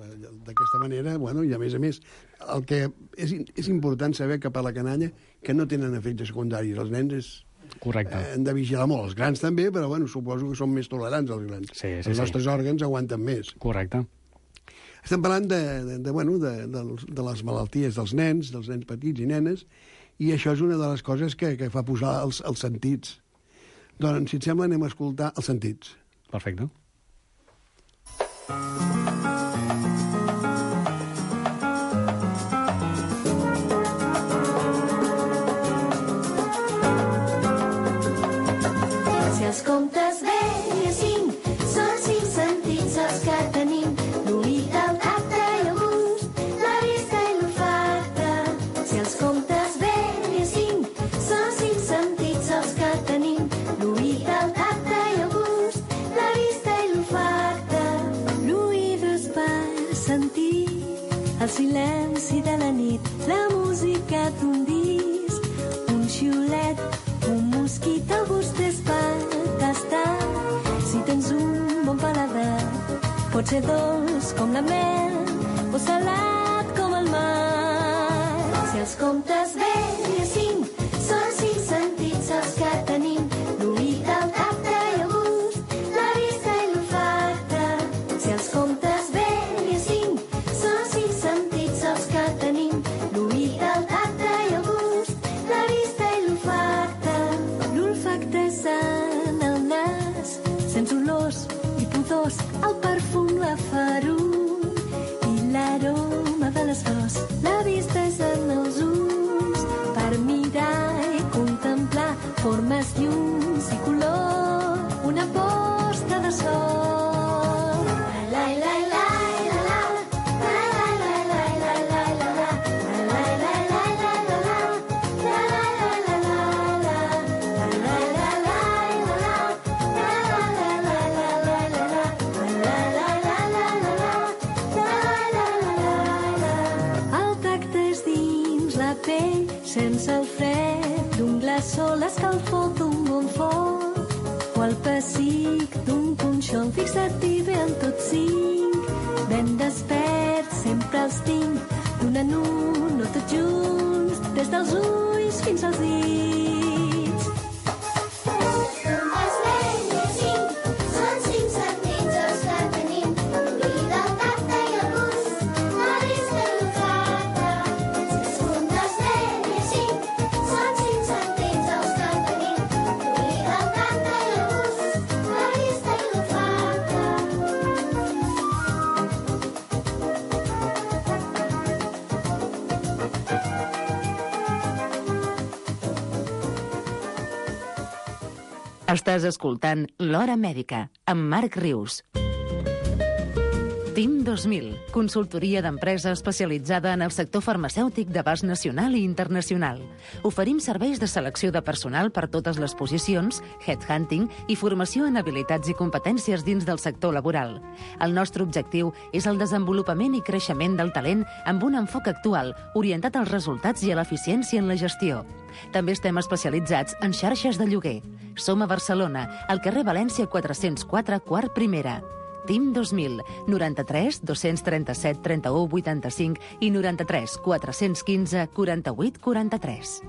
d'aquesta manera, bueno, i a més a més, el que és, és important saber que per la canalla que no tenen efectes secundaris. Els nens és, Correcte. eh, han de vigilar molt. Els grans també, però bueno, suposo que són més tolerants els grans. Sí, sí, els sí. nostres òrgans aguanten més. Correcte. Estem parlant de, de, de, bueno, de, de, de les malalties dels nens, dels nens petits i nenes, i això és una de les coses que, que fa posar els, els sentits. Doncs, si et sembla, anem a escoltar els sentits. Perfecte. Si els comptes bé i cinc són cinc sentits els que tenim, l'oït, el tacte i el gust, la vista i l'olfacte. Si els comptes bé i cinc són cinc sentits els que tenim, l'oït, el tacte i el gust, la vista i l'olfacte. L'oït és per sentir el silenci de la nit, la música d'un disc, un xiulet, un mosquit, el gust és per tastar. Si tens un bon paladar, pot ser dolç com la mel o salat com el mar. Si els comptes bé i cinc són cinc sentits els que tenim, l'oït, el tacte i el gust, la vista i l'olfacte. Si els comptes bé i cinc són cinc sentits els que tenim, l'oït, el tacte i el gust, la vista i l'olfacte. L'olfacte és en el nas, sents olors i pudors, el perfum, la farur i l'aroma de les flors. La vista és en els ulls, per mirar i contemplar formes, llums i color, una posta de sol. La, la, la, la, la, la. Sense el fred d'un glaçó, l'escalfor d'un bon foc o el pessic d'un punxó fixat i bé en tots cinc. Ben desperts sempre els tinc, d'un en un o tots junts, des dels ulls fins als dits. Els vells cinc són cinc sentits els que tenim, l'oït, el tacte i el gust, la vista i l'olfacte. Si els comptes vells cinc són cinc sentits els que tenim, l'oït, el tacte i el gust, la vista i l'olfacte. Estàs escoltant L'Hora Mèdica, amb Marc Rius. Team dos mil, consultoria d'empresa especialitzada en el sector farmacèutic d'abast nacional i internacional. Oferim serveis de selecció de personal per totes les posicions, headhunting i formació en habilitats i competències dins del sector laboral. El nostre objectiu és el desenvolupament i creixement del talent amb un enfoc actual, orientat als resultats i a l'eficiència en la gestió. També estem especialitzats en xarxes de lloguer. Som a Barcelona, al carrer València quatre-cents quatre, quart primera. Team dos mil, noranta-tres dos-cents trenta-set trenta-u vuitanta-cinc i noranta-tres quatre-cents quinze quaranta-vuit quaranta-tres.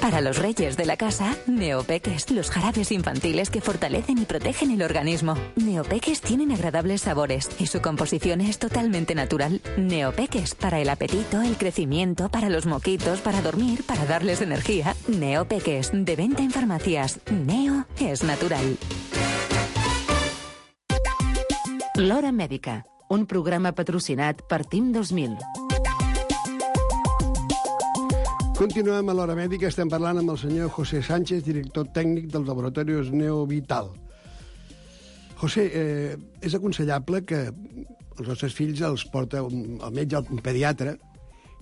Para los reyes de la casa, Neopeques, los jarabes infantiles que fortalecen y protegen el organismo. Neopeques tienen agradables sabores y su composición es totalmente natural. Neopeques, para el apetito, el crecimiento, para los moquitos, para dormir, para darles energía. Neopeques, de venta en farmacias. Neo es natural. L'Hora Mèdica, un programa patrocinat per Team dos mil. Continuem a l'Hora Mèdica, estem parlant amb el senyor José Sánchez, director tècnic dels laboratoris Neovital. José, eh, és aconsellable que els nostres fills els porta un, el metge, un pediatre,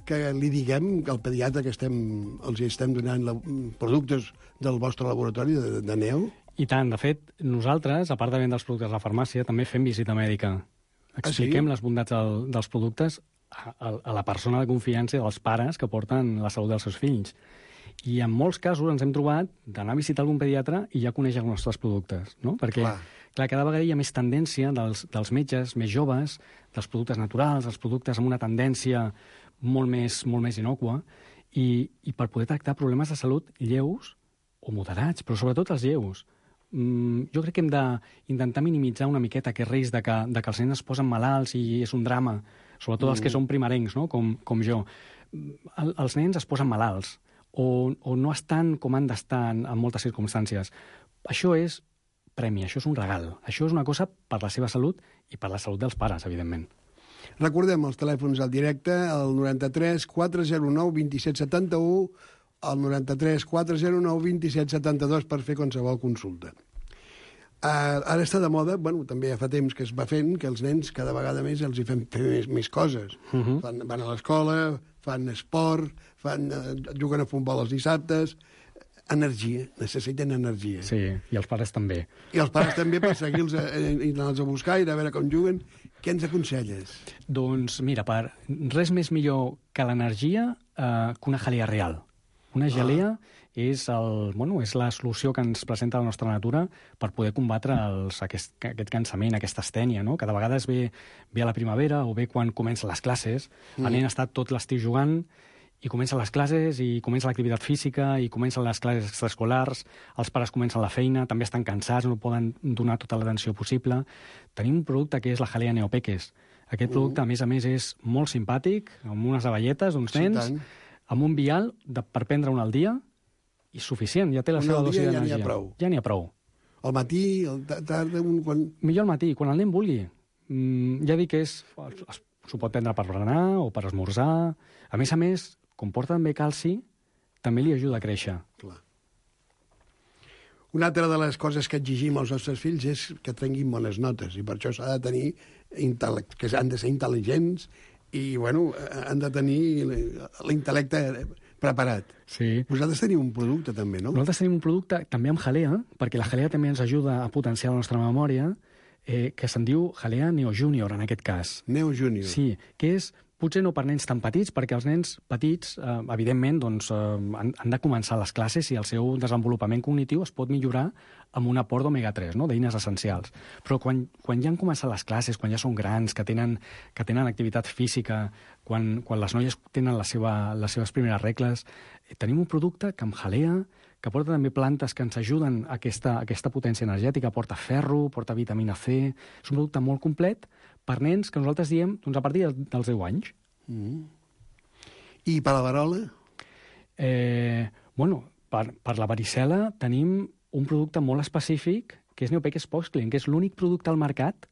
que li diguem que el pediatre que estem, els estem donant la, productes del vostre laboratori de, de Neo? I tant, de fet, nosaltres, a part de vendre els productes a la farmàcia, també fem visita mèdica. Expliquem ah, sí? les bondats del, dels productes a, a la persona de confiança dels pares que porten la salut dels seus fills. I en molts casos ens hem trobat d'anar a visitar algun pediatre i ja conèixer els nostres productes, no? Perquè, clar, clar cada vegada hi ha més tendència dels, dels metges més joves, dels productes naturals, dels productes amb una tendència molt més, molt més innòcua, i, i per poder tractar problemes de salut lleus o moderats, però sobretot els lleus. Mm, jo crec que hem d'intentar minimitzar una miqueta aquest risc de que, de que els nens es posen malalts i és un drama, sobretot mm. els que són primerencs, no? com, com jo. El, els nens es posen malalts, O, o no estan com han d'estar en, en moltes circumstàncies. Això és premi, això és un regal. Això és una cosa per la seva salut i per la salut dels pares, evidentment. Recordem els telèfons al directe, el noranta-tres quatre zero nou vint set setanta-u, el noranta-tres quatre zero nou vint set setanta-dos per fer qualsevol consulta. Uh, ara està de moda, bueno, també ja fa temps que es va fent, que els nens cada vegada més els hi fem fer més, més coses. Uh -huh. Fan, van a l'escola, fan esport, fan, uh, juguen a futbol els dissabtes. Energia, necessiten energia. Sí, i els pares també. I els pares també, per seguir-los i anar-los a buscar i a veure com juguen. Què ens aconselles? Doncs mira, per res més millor que l'energia eh, que una gelea real. Una gelea ah. és, el, bueno, és la solució que ens presenta la nostra natura per poder combatre els, aquest, aquest cansament, aquesta astènia, no? Cada vegada es ve, ve a la primavera o ve quan comencen les classes. Mm. El nen ha estat tot l'estiu jugant i comencen les classes, i comença l'activitat física, i comencen les classes extraescolars, els pares comencen la feina, també estan cansats, no poden donar tota l'atenció possible. Tenim un producte que és la Jalea Neopeques. Aquest uh. producte, a més a més, és molt simpàtic, amb unes avelletes, uns nens, sí, amb un vial de, per prendre un al dia, i suficient, ja té la un seva dosi d'energia. Ja n'hi ha prou. Ja n'hi ha prou. Al matí, al tarda... Un, quan... Millor al matí, quan el nen vulgui. Mm, ja dic que és... S'ho pot prendre per berenar o per esmorzar. A més a més, com porta també calci, també li ajuda a créixer. Clar. Una altra de les coses que exigim als nostres fills és que trenguin bones notes, i per això s'ha de tenir intellect, que han de ser intel·ligents i, bueno, han de tenir l'intel·lecte preparat. Sí. Vosaltres teniu un producte, també, no? Nosaltres tenim un producte, també amb jalea, perquè la jalea també ens ajuda a potenciar la nostra memòria, eh, que se'n diu Jalea Neo Junior, en aquest cas. Neo Junior. Sí, que és potser no per nens tan petits, perquè els nens petits, eh, evidentment, doncs, eh, han, han de començar les classes i el seu desenvolupament cognitiu es pot millorar amb un aport d'omega tres, no?, d'eines essencials. Però quan, quan ja han començat les classes, quan ja són grans, que tenen, que tenen activitat física, quan, quan les noies tenen la seva, les seves primeres regles, eh, tenim un producte que amb jalea, que porta també plantes que ens ajuden a aquesta, a aquesta potència energètica, porta ferro, porta vitamina C, és un producte molt complet per nens que nosaltres diem doncs, a partir dels deu anys. Mm. I per la varola? Eh, bueno, per, per la varicel·la tenim un producte molt específic, que és Neopeques Poxclean, que és l'únic producte al mercat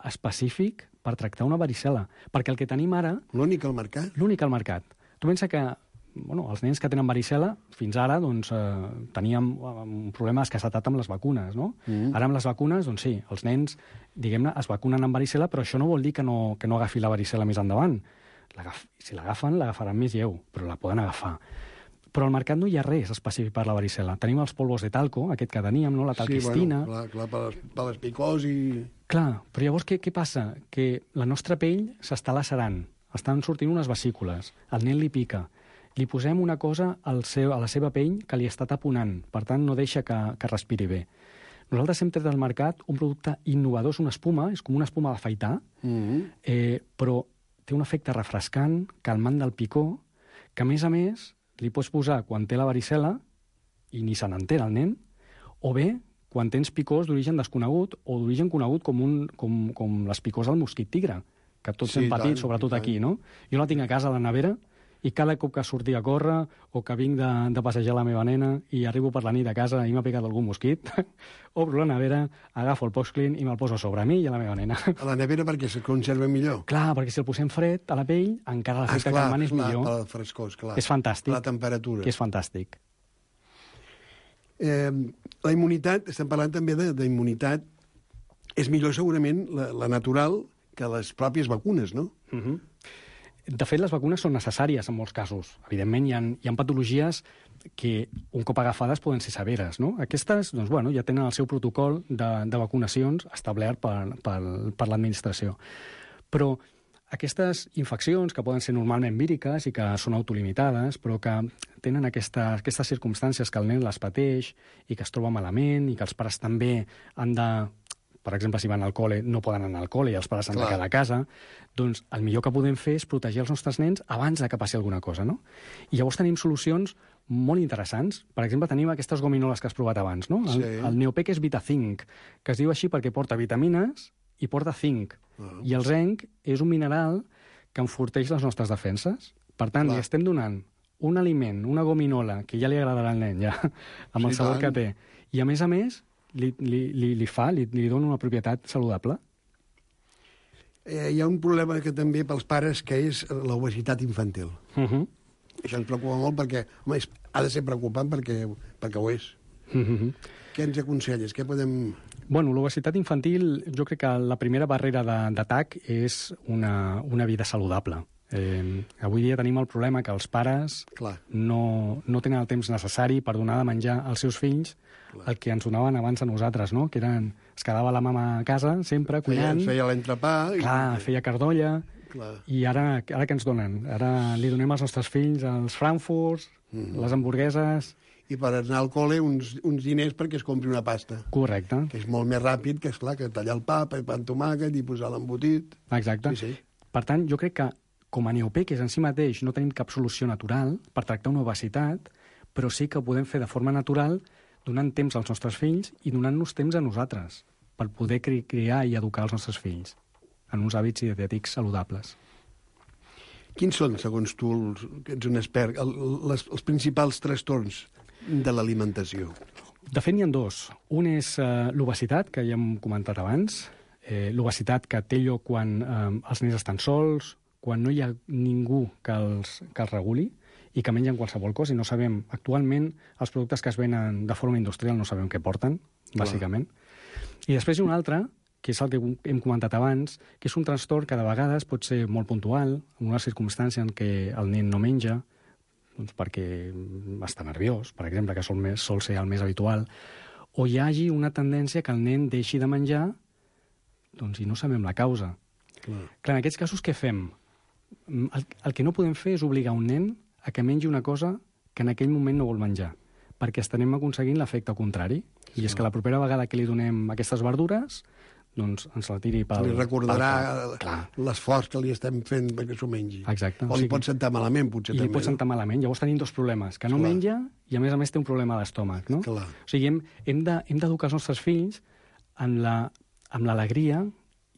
específic per tractar una varicel·la. Perquè el que tenim ara... L'únic al mercat? L'únic al mercat. Tu pensa que bueno, els nens que tenen varicel·la, fins ara doncs, eh, teníem un problema d'escassetat amb les vacunes, no? Mm. Ara amb les vacunes, doncs sí, els nens, diguem-ne, es vacunen amb varicel·la, però això no vol dir que no, que no agafi la varicel·la més endavant. Si l'agafen, l'agafaran més lleu, però la poden agafar. Però al mercat no hi ha res específic per la varicel·la. Tenim els polvos de talco, aquest que teníem, no? La talquistina... Sí, bueno, clar, clar, per les, per les picors i... Clar, però llavors què, què passa? Que la nostra pell s'està lacerant, estan sortint unes vesícules, el nen li pica, li posem una cosa al seu, a la seva pell que li està taponant, per tant no deixa que, que respiri bé. Nosaltres hem tret del mercat un producte innovador, és una espuma, és com una espuma d'afaitar, mm-hmm. eh, però té un efecte refrescant, calmant del picor, que a més a més li pots posar quan té la varicel·la i ni se n'entera el nen, o bé quan tens picors d'origen desconegut o d'origen conegut com, un, com, com les picors del mosquit tigre, que tots sí, hem patit, tant, sobretot tant. Aquí, no? Jo la tinc a casa a la nevera, i cada cop que sortia a córrer o que vinc de, de passejar la meva nena i arribo per la nit a casa i m'ha picat algun mosquit, obro la nevera, agafo el Poxclean i me'l poso sobre mi i a la meva nena. A la nevera perquè se conserva millor? Clar, perquè si el posem fred a la pell, encara l'efecte ah, calmant és millor. Per frescor, esclar. És fantàstic. La temperatura. Que és fantàstic. Eh, la immunitat, estem parlant també d'immunitat, és millor segurament la, la natural que les pròpies vacunes, no? Mhm. Uh-huh. De fet, les vacunes són necessàries en molts casos. Evidentment, hi ha, hi ha patologies que un cop agafades poden ser severes, no? Aquestes, doncs, bueno, ja tenen el seu protocol de, de vacunacions establert per, per, per l'administració. Però aquestes infeccions, que poden ser normalment víriques i que són autolimitades, però que tenen aquesta, aquestes circumstàncies que el nen les pateix i que es troba malament i que els pares també han de... Per exemple, si van al col·le, no poden anar al col·le i els pares han Clar. de quedar a casa, doncs el millor que podem fer és protegir els nostres nens abans de que passi alguna cosa, no? I llavors tenim solucions molt interessants. Per exemple, tenim aquestes gominoles que has provat abans, no? El, sí. el Neopec és VitaZinc, que es diu així perquè porta vitamines i porta zinc. Uh. I el zinc és un mineral que enforteix les nostres defenses. Per tant, Clar. li estem donant un aliment, una gominola, que ja li agradarà al nen, ja, amb sí, el sabor tant. que té. I, a més a més, li, li, li, li fa, li, li dona una propietat saludable. Eh, hi ha un problema que també pels pares, que és l'obesitat infantil. Uh -huh. Això ens preocupa molt perquè, home, és, ha de ser preocupant perquè, perquè ho és. Uh -huh. Què ens aconselles? Què podem... Bueno, l'obesitat infantil, jo crec que la primera barrera d'atac és una, una vida saludable. Eh, avui dia tenim el problema que els pares no, no tenen el temps necessari per donar de menjar als seus fills Clar. el que ens donaven abans a nosaltres, no? Que eren, es quedava la mama a casa sempre cuinant. Feia, feia l'entrepà. Clar, i... feia cardolla. Clar. I ara, ara què ens donen? Ara li donem als nostres fills els frankfurts, mm. les hamburgueses... I per anar al col·le uns, uns diners perquè es compri una pasta. Correcte. Que és molt més ràpid que, esclar, que tallar el pa, pa amb tomàquet i posar l'embotit. Exacte. Sí, sí. Per tant, jo crec que com a Neopec en si mateix no tenim cap solució natural per tractar una obesitat, però sí que ho podem fer de forma natural donant temps als nostres fills i donant-nos temps a nosaltres per poder cri criar i educar els nostres fills en uns hàbits dietètics saludables. Quins són, segons tu, els, que ets un expert, el, les, els principals trastorns de l'alimentació? De fet, n'hi ha dos. Un és eh, l'obesitat, que ja hem comentat abans, eh, l'obesitat que té lloc quan eh, els nens estan sols, quan no hi ha ningú que els, que els reguli i que mengen qualsevol cosa i no sabem... Actualment, els productes que es venen de forma industrial no sabem què porten, Clar. bàsicament. I després hi ha un altre, que és el que hem comentat abans, que és un trastorn que de vegades pot ser molt puntual, en una circumstància en què el nen no menja, doncs perquè està nerviós, per exemple, que sol, més, sol ser el més habitual, o hi hagi una tendència que el nen deixi de menjar doncs, i no sabem la causa. Clar. Clar, en aquests casos, què fem? El, el que no podem fer és obligar un nen a que mengi una cosa que en aquell moment no vol menjar, perquè estarem aconseguint l'efecte contrari. Sí. I és que la propera vegada que li donem aquestes verdures, doncs ens la tiri pel... Li recordarà l'esforç que li estem fent perquè s'ho mengi. Exacte. O li o sigui, pot sentar malament, potser i també. I li pot sentar no? malament. Llavors tenim dos problemes, que no Clar. menja i a més a més té un problema d'estómac, no? Clar. O sigui, hem, hem d'educar els nostres fills amb l'alegria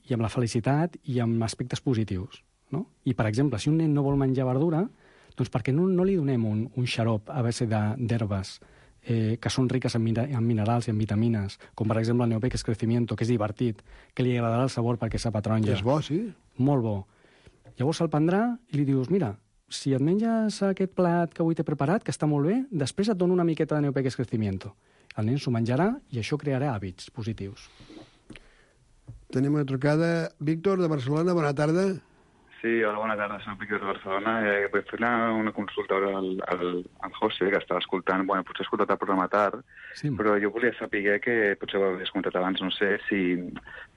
i amb la felicitat i amb aspectes positius. No? I, per exemple, si un nen no vol menjar verdura, doncs perquè no, no li donem un, un xarop a base d'herbes eh, que són riques en, en minerals i en vitamines, com per exemple el Neopec és Crecimiento, que és divertit, que li agradarà el sabor perquè sap a taronja. És bo, sí. Molt bo. Llavors se'l prendrà i li dius, mira, si et menges aquest plat que avui t'he preparat, que està molt bé, després et dono una miqueta de Neopec és Crecimiento. El nen s'ho menjarà i això crearà hàbits positius. Tenim una trucada. Víctor, de Barcelona, bona tarda. Sí, hola, bona tarda, soc Víctor de Barcelona. Eh, vull fer una, una consulta al, al, al José, que estava escoltant. Bueno, potser he escoltat el programa tard, sí. Però jo volia saber que, potser ho havies comentat abans, no sé, si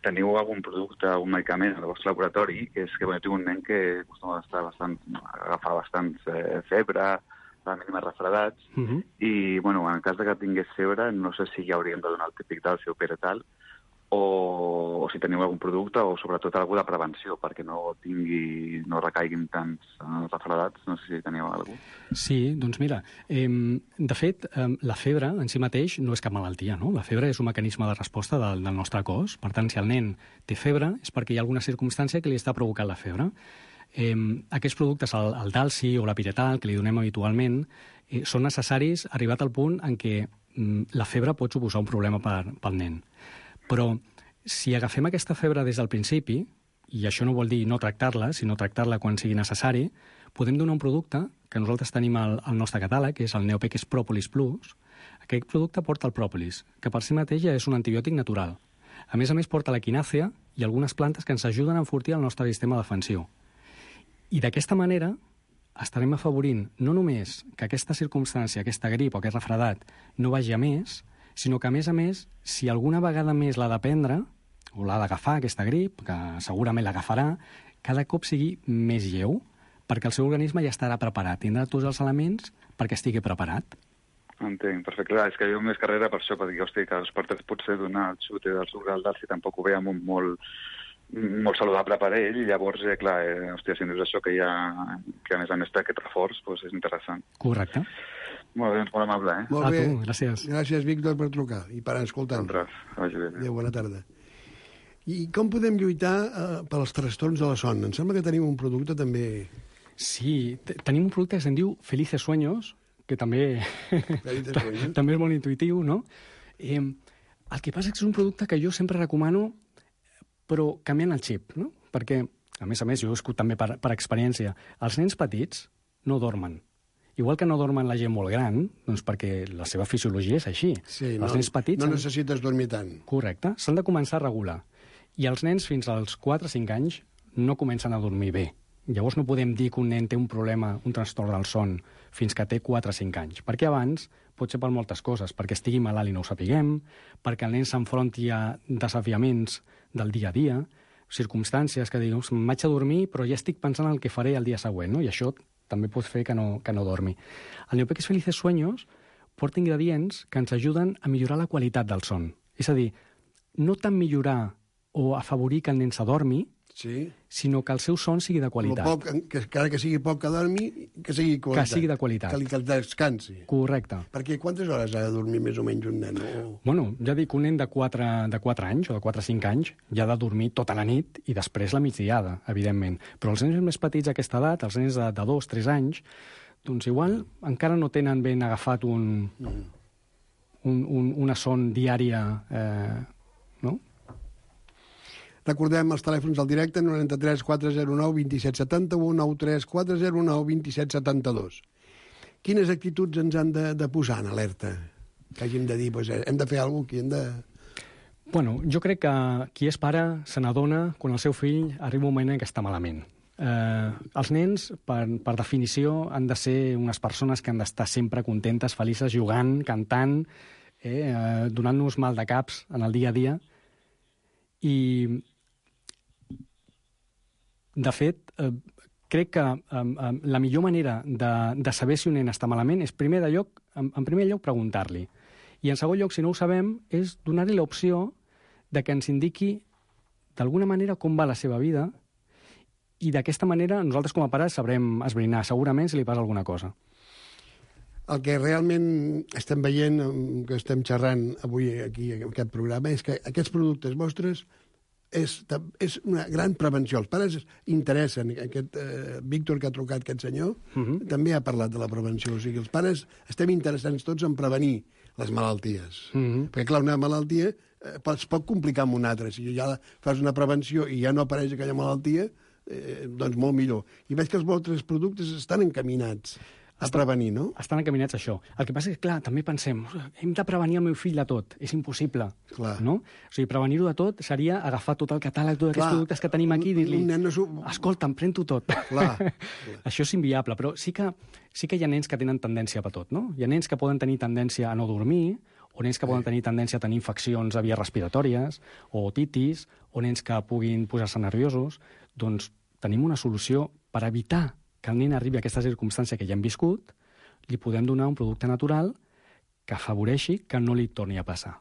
teniu algun producte, algun medicament al vostre laboratori, que és que bueno, tinc un nen que acostuma a estar bastant, agafar bastants eh, febre, a la mínima refredats, uh -huh. i, bueno, en cas de que tingués febre, no sé si ja hauríem de donar el típic del seu pere tal, o, o si teniu algun producte o sobretot alguna de prevenció perquè no tingui, no recaiguin tants eh, refredats, no sé si teniu alguna cosa. Sí, doncs mira, eh, de fet, eh, la febre en si mateix no és cap malaltia, no? La febre és un mecanisme de resposta del, del nostre cos, per tant, si el nen té febre és perquè hi ha alguna circumstància que li està provocant la febre. Eh, aquests productes, el, el Dalsi o la Piretal, que li donem habitualment, eh, són necessaris arribat al punt en què mm, la febre pot suposar un problema per, pel nen. Però si agafem aquesta febre des del principi, i això no vol dir no tractar-la, sinó tractar-la quan sigui necessari, podem donar un producte que nosaltres tenim al, al nostre catàleg, que és el Neopec Propolis Plus. Aquest producte porta el pròpolis, que per si mateix ja és un antibiòtic natural. A més a més, porta l'equinàcia i algunes plantes que ens ajuden a enfortir el nostre sistema defensiu. I d'aquesta manera estarem afavorint no només que aquesta circumstància, aquesta grip o aquest refredat no vagi a més, sinó que, a més a més, si alguna vegada més l'ha de prendre, o l'ha d'agafar, aquesta grip, que segurament l'agafarà, cada cop sigui més lleu, perquè el seu organisme ja estarà preparat, tindrà tots els elements perquè estigui preparat. Entenc, perfecte. Clar, és que jo més carrera per això, perquè hosti, que els portes potser donar el xute del sucre al dalt si tampoc ho veiem un molt, molt saludable per ell, i llavors, eh, clar, eh, hòstia, si em dius això que hi ha, que a més a més té aquest reforç, doncs és interessant. Correcte. Molt bé, doncs molt amable, eh? Molt A bé. tu, gràcies. Gràcies, Víctor, per trucar i per escoltar-nos. Vagi bé. Adéu, bona tarda. I com podem lluitar eh, pels trastorns de la son? Em sembla que tenim un producte també... Sí, te- tenim un producte que se'n diu Felices Sueños, que també, Felices Sueños. també és molt intuitiu, no? Eh, el que passa és que és un producte que jo sempre recomano, però canviant el xip, no? Perquè, a més a més, jo ho he escut també per, per experiència, els nens petits no dormen. Igual que no dormen la gent molt gran, doncs perquè la seva fisiologia és així. Sí, els no, nens petits... no han- necessites dormir tant. Correcte, s'han de començar a regular. I els nens fins als quatre o cinc anys no comencen a dormir bé. Llavors no podem dir que un nen té un problema, un trastorn del son, fins que té quatre o cinc anys. Perquè abans pot ser per moltes coses, perquè estigui malalt i no ho sapiguem, perquè el nen s'enfronti a desafiaments del dia a dia, circumstàncies que digueu, me'n vaig a dormir però ja estic pensant en el que faré el dia següent, no? I això també pot fer que no, que no dormi. El Neopeques Felices Sueños porta ingredients que ens ajuden a millorar la qualitat del son. És a dir, no tant millorar o afavorir que el nen s'adormi, Sí. sinó que el seu son sigui de Lo qualitat. poc, que, que, que sigui poc que dormi, que sigui qualitat. Que sigui de qualitat. Que, li, que descansi. Correcte. Perquè quantes hores ha de dormir més o menys un nen? O... Bueno, ja dic, un nen de quatre, de quatre anys o de quatre o cinc anys ja ha de dormir tota la nit i després la migdiada, evidentment. Però els nens més petits a aquesta edat, els nens de, de dos, tres anys, doncs igual encara no tenen ben agafat un, mm. un, un, una son diària, eh, no? Recordem els telèfons al directe, noranta-tres quatre zero nou vint set setanta-u, noranta-tres quatre zero nou vint set setanta-dos. Quines actituds ens han de, de posar en alerta? Que hàgim de dir, doncs, hem de fer alguna cosa, que hem de... Bueno, jo crec que qui és pare se n'adona quan el seu fill arriba un moment en què està malament. Eh, els nens, per, per definició, han de ser unes persones que han d'estar sempre contentes, felices, jugant, cantant, eh, eh, donant-nos mal de caps en el dia a dia. I, de fet, eh, crec que eh, eh, la millor manera de, de saber si un nen està malament és, primer de lloc, en, en primer lloc, preguntar-li. I, en segon lloc, si no ho sabem, és donar-li l'opció de que ens indiqui d'alguna manera com va la seva vida i d'aquesta manera nosaltres com a pares sabrem esbrinar segurament si li passa alguna cosa. El que realment estem veient, que estem xerrant avui aquí en aquest programa, és que aquests productes vostres és, és una gran prevenció. Els pares interessen. Aquest eh, Víctor que ha trucat, aquest senyor, uh -huh. també ha parlat de la prevenció. O sigui, els pares estem interessants tots en prevenir les malalties. Uh -huh. Perquè, clar, una malaltia eh, es pot complicar amb una altra. Si ja fas una prevenció i ja no apareix aquella malaltia, eh, doncs molt millor. I veig que els vostres productes estan encaminats a prevenir, no? Estan encaminats a això. El que passa és que, clar, també pensem, hem de prevenir el meu fill de tot. És impossible, clar. No? O sigui, prevenir-ho de tot seria agafar tot el catàleg, tots aquests productes que tenim aquí i dir-li, no escolta, em pren-ho tot. Clar. Això és inviable, però sí que, sí que hi ha nens que tenen tendència a tot, no? Hi ha nens que poden tenir tendència a no dormir, o nens que poden tenir tendència a tenir infeccions a vies respiratòries, o otitis, o nens que puguin posar-se nerviosos. Doncs tenim una solució per evitar que el nen arribi a aquesta circumstància que ja hem viscut, li podem donar un producte natural que afavoreixi que no li torni a passar.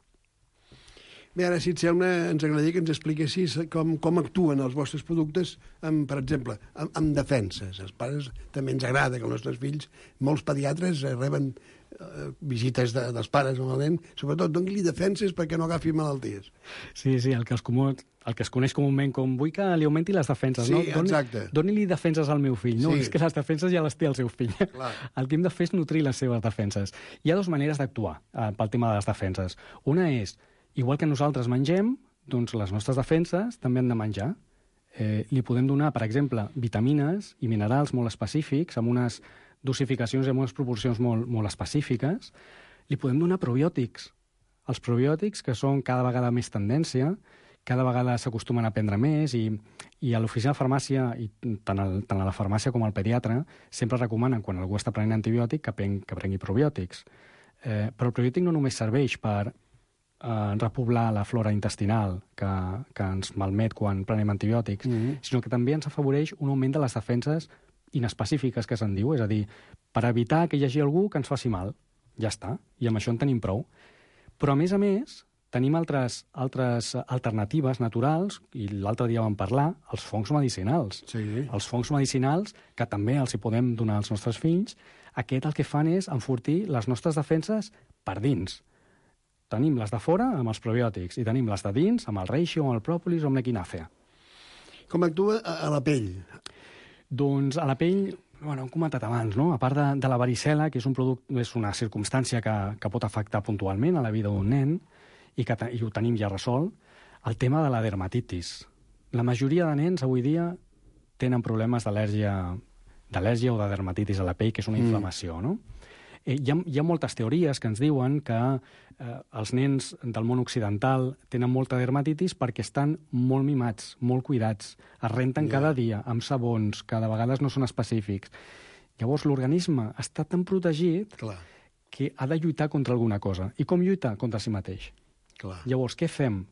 Bé, ara, si et sembla, ens agradaria que ens expliquessis com, com actuen els vostres productes, amb, per exemple, amb, amb defenses. Els pares també ens agrada que els nostres fills, molts pediatres eh, reben eh, visites de, dels pares amb el nen, sobretot doni-li defenses perquè no agafi malalties. Sí, sí, el que, els comú, el que es coneix comúment com vull que li augmenti les defenses. Sí, no? Doni, exacte. Doni-li defenses al meu fill. No, Sí. és que les defenses ja les té el seu fill. Clar. El que hem de fer és nutrir les seves defenses. Hi ha dues maneres d'actuar eh, pel tema de les defenses. Una és, igual que nosaltres mengem, doncs les nostres defenses també han de menjar. Eh, li podem donar, per exemple, vitamines i minerals molt específics, amb unes dosificacions i amb unes proporcions molt, molt específiques. Li podem donar probiòtics. Els probiòtics, que són cada vegada més tendència, cada vegada s'acostumen a prendre més i, i a l'oficina de farmàcia, i tant, el, tant a la farmàcia com al pediatre, sempre recomanen, quan algú està prenent antibiòtic, que, pren, que prengui probiòtics. Eh, però el probiòtic no només serveix per eh, repoblar la flora intestinal que, que ens malmet quan prenem antibiòtics, mm-hmm. sinó que també ens afavoreix un augment de les defenses inespecífiques, que se'n diu, és a dir, per evitar que hi hagi algú que ens faci mal. Ja està, i amb això en tenim prou. Però, a més a més, tenim altres, altres alternatives naturals, i l'altre dia vam parlar, els fongs medicinals. Sí. Els fongs medicinals, que també els hi podem donar als nostres fills, aquest el que fan és enfortir les nostres defenses per dins. Tenim les de fora amb els probiòtics, i tenim les de dins amb el reishi, amb el pròpolis o amb l'equinàcea. Com actua a la pell? Doncs a la pell, bueno, hem comentat abans, no? A part de, de la varicel·la, que és, un product, és una circumstància que, que pot afectar puntualment a la vida d'un nen, i que i ho tenim ja resolt, el tema de la dermatitis. La majoria de nens avui dia tenen problemes d'al·lèrgia d'al·lèrgia o de dermatitis a la pell, que és una Mm. inflamació, no? Eh, hi, ha, hi ha moltes teories que ens diuen que eh, els nens del món occidental tenen molta dermatitis perquè estan molt mimats, molt cuidats, es renten Ja. cada dia amb sabons, que de vegades no són específics. Llavors l'organisme està tan protegit Clar, que ha de lluitar contra alguna cosa. I com lluita? Contra si mateix. clar. Llavors, què fem?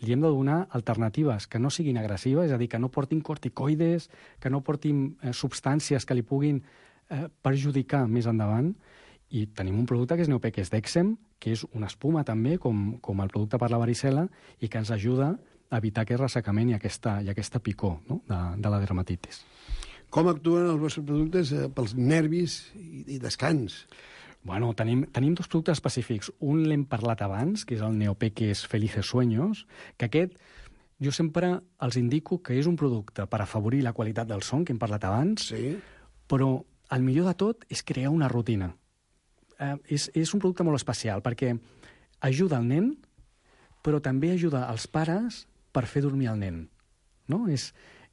Li hem de donar alternatives que no siguin agressives, és a dir, que no portin corticoides, que no portin eh, substàncies que li puguin eh, perjudicar més endavant. I tenim un producte que és Neopec, que és Dexem, que és una espuma també, com, com el producte per la varicel·la, i que ens ajuda a evitar aquest ressecament i aquesta, i aquesta picor, no? de, de la dermatitis. Com actuen els vostres productes eh, pels nervis i, i descans? Bueno, tenim, tenim dos productes específics. Un l'hem parlat abans, que és el Neopeques Felices Sueños, que aquest jo sempre els indico que és un producte per afavorir la qualitat del son, que hem parlat abans, Sí. però el millor de tot és crear una rutina. Eh, és, és un producte molt especial, perquè ajuda el nen, però també ajuda els pares per fer dormir el nen. No? És,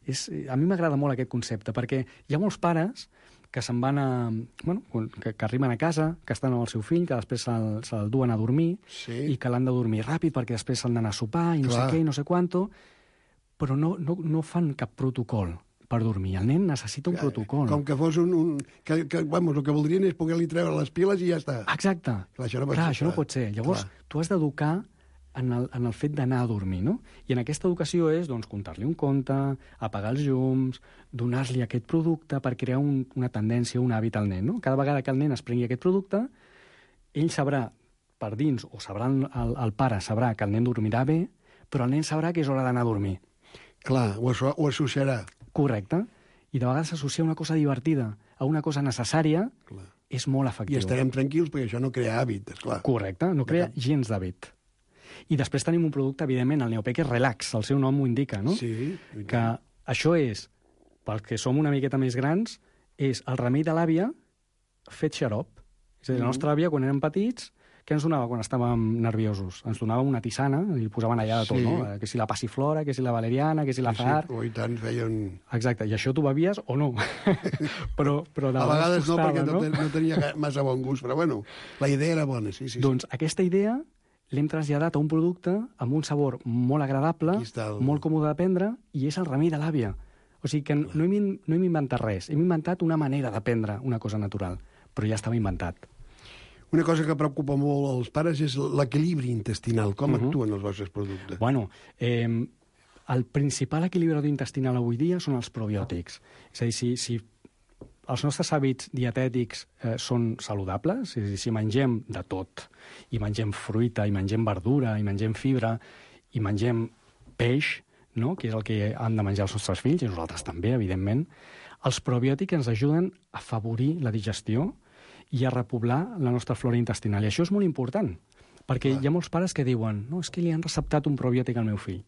és, a mi m'agrada molt aquest concepte, perquè hi ha molts pares que se'n van a... Bueno, que, que arriben a casa, que estan amb el seu fill, que després se'l se duen a dormir, Sí. i que l'han de dormir ràpid perquè després s'han d'anar a sopar i no Clar. sé què i no sé quanto, però no, no, no fan cap protocol per dormir. El nen necessita un protocol. Com que fos un... un que, que, vamos, el que voldrien és poder-li treure les piles i ja està. Exacte. Clar, això no pot Clar, ser, això no clar. pot ser. Llavors, Clar. tu has d'educar en el, en el fet d'anar a dormir, no? I en aquesta educació és, doncs, contar-li un conte, apagar els llums, donar-li aquest producte per crear un, una tendència, un hàbit al nen, no? Cada vegada que el nen es prengui aquest producte, ell sabrà per dins, o sabrà el, el pare sabrà que el nen dormirà bé, però el nen sabrà que és hora d'anar a dormir. Clar, ho, asso ho associarà. Correcte. I de vegades s'associa una cosa divertida a una cosa necessària, Clar. és molt I efectiu. estarem tranquils perquè això no crea hàbit, esclar. Correcte, no crea gens d'hàbit. I després tenim un producte, evidentment, el Neopec és relax, el seu nom ho indica, no? Sí. Que això és, pels que som una miqueta més grans, és el remei de l'àvia fet xarop. És a dir, la nostra àvia, quan érem petits, què ens donava quan estàvem nerviosos? Ens donava una tisana, i posaven allà de tot, Sí. no? Que si la passiflora, que si la valeriana, que si la zahar... Sí, i tant, feien... Exacte, i això tu bevies o no? però, però de A vegades no, costava, perquè no, no tenia massa bon gust, però bueno, la idea era bona, sí, sí. sí. Doncs aquesta idea l'hem traslladat a un producte amb un sabor molt agradable, Aquí està el- molt còmode de prendre, i és el remei de l'àvia. O sigui que no hem, in- no hem inventat res, hem inventat una manera de prendre una cosa natural, però ja estava inventat. Una cosa que preocupa molt als pares és l'equilibri intestinal. Com Mhm. actuen els vostres productes? Bueno, eh, el principal equilibrador intestinal avui dia són els probiòtics. És a dir, si, si els nostres hàbits dietètics eh, són saludables, és a dir, si mengem de tot, i mengem fruita, i mengem verdura, i mengem fibra, i mengem peix, no? Que és el que han de menjar els nostres fills, i nosaltres també, evidentment, els probiòtics ens ajuden a afavorir la digestió i a repoblar la nostra flora intestinal. I això és molt important, perquè Clar. hi ha molts pares que diuen no, és que li han receptat un probiòtic al meu fill.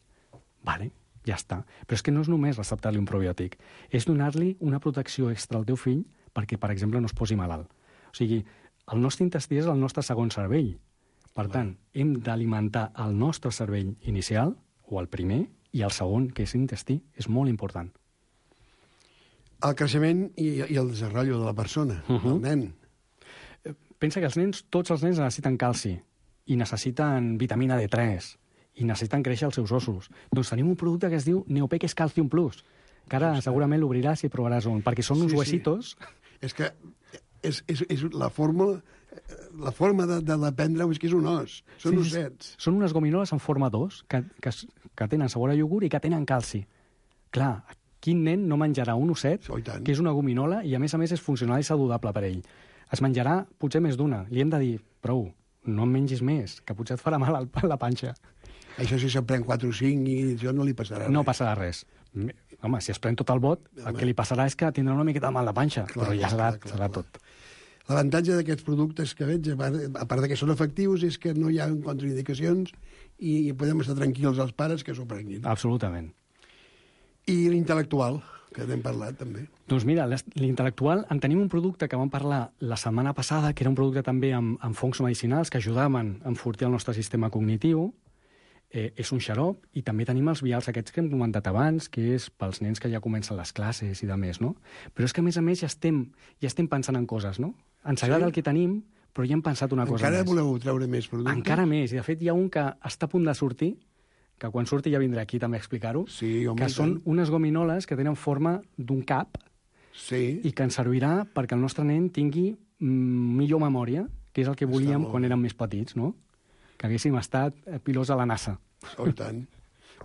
Vale, ja està. Però és que no és només receptar-li un probiòtic, és donar-li una protecció extra al teu fill perquè, per exemple, no es posi malalt. O sigui, el nostre intestí és el nostre segon cervell. Per tant, hem d'alimentar el nostre cervell inicial, o el primer, i el segon, que és l'intestí, és molt important. El creixement i, i el desenvolupament de la persona, uh -huh. del nen. Pensa que els nens, tots els nens necessiten calci, i necessiten vitamina D tres, i necessiten créixer els seus ossos. Doncs tenim un producte que es diu Neopeques Calcium Plus, que ara segurament l'obriràs i provaràs un, perquè són uns Sí, sí. huesitos. És que és, és, és la fórmula la forma de, de l'aprendre és que és un os, són sí, ossets. Són unes gominoles en forma d'os que, que, que tenen sabor a iogurt i que tenen calci. Clar, quin nen no menjarà un osset, oh, que és una gominola, i a més a més és funcional i saludable per ell? Es menjarà potser més d'una. Li hem de dir, prou, no en mengis més, que potser et farà mal a la panxa. Això si se'n pren quatre o cinc i això no li passarà res. No passarà res. Home, si es pren tot el bot, el que li passarà és que tindrà una miqueta de mal de panxa, clar, però ja serà, clar, clar, serà clar. tot. L'avantatge d'aquests productes que veig, a part, a part de que són efectius, és que no hi ha contraindicacions i, i podem estar tranquils els pares que s'ho prenguin. Absolutament. I l'intel·lectual, que n'hem parlat també. Doncs mira, l'intel·lectual, en tenim un producte que vam parlar la setmana passada, que era un producte també amb, amb fongs medicinals que ajudaven a enfortir el nostre sistema cognitiu. Eh, és un xarop, i també tenim els vials aquests que hem comentat abans, que és pels nens que ja comencen les classes i de més, no? Però és que, a més a més, ja estem, ja estem pensant en coses, no? Ens agrada sí? el que tenim, però ja hem pensat una cosa Encara més. Encara voleu treure més productes? Encara més, i de fet hi ha un que està a punt de sortir, que quan surti ja vindré aquí també a explicar-ho, sí, home, que són unes gominoles que tenen forma d'un cap, sí. i que ens servirà perquè el nostre nen tingui mm, millor memòria, que és el que volíem quan érem més petits, no? Que haguéssim estat pilots a la NASA. Oh, i tant.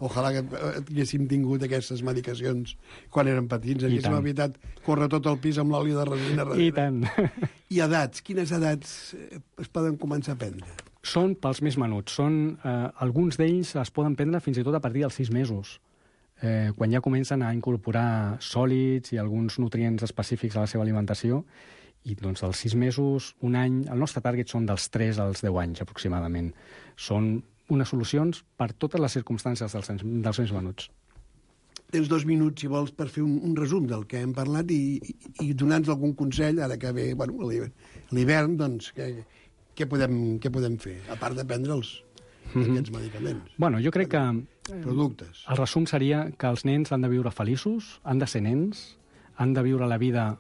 Ojalà que haguéssim tingut aquestes medicacions quan érem petits. Haguéssim evitat córrer tot el pis amb l'oli de resina. I tant. I edats? Quines edats es poden començar a prendre? Són pels més menuts. Són, eh, alguns d'ells es poden prendre fins i tot a partir dels sis mesos, eh, quan ja comencen a incorporar sòlids i alguns nutrients específics a la seva alimentació. I doncs dels sis mesos, un any, el nostre target són dels tres als deu anys aproximadament. Són unes solucions per totes les circumstàncies dels, dels més menuts. Tens dos minuts, si vols, per fer un, un resum del que hem parlat i, i, i donar-nos algun consell, ara que ve bueno, l'hivern, doncs, què, què, podem, què podem fer, a part de prendre els, mm-hmm. aquests medicaments? Bueno, jo crec que productes. El resum seria que els nens han de viure feliços, han de ser nens, han de viure la vida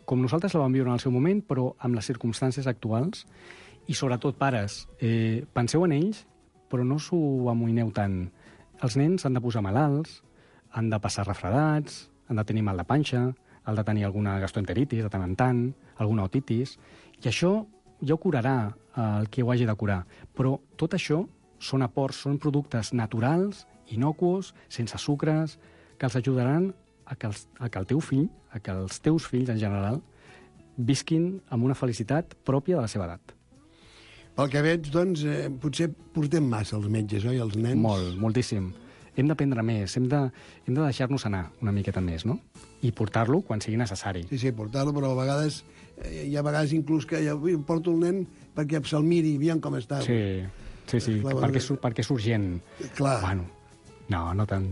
com nosaltres la vam viure en el seu moment, però amb les circumstàncies actuals, i sobretot, pares, eh, penseu en ells, però no s'ho amoïneu tant. Els nens han de posar malalts, han de passar refredats, han de tenir mal de panxa, han de tenir alguna gastroenteritis de tant en tant, alguna otitis, i això ja ho curarà el que ho hagi de curar. Però tot això són aports, són productes naturals, inocuos, sense sucres, que els ajudaran a que, els, a que el teu fill, a que els teus fills en general, visquin amb una felicitat pròpia de la seva edat. Pel que veig, doncs, eh, potser portem massa els metges, oi, els nens? Molt, moltíssim. Hem d'aprendre més, hem de, hem de deixar-nos anar una miqueta més, no? I portar-lo quan sigui necessari. Sí, sí, portar-lo, però a vegades, eh, hi ha vegades inclús que ja porto el nen perquè se'l miri, aviam com està. Sí, sí, sí, clar, perquè, és, perquè és urgent. Clar. Bueno, no, no tant.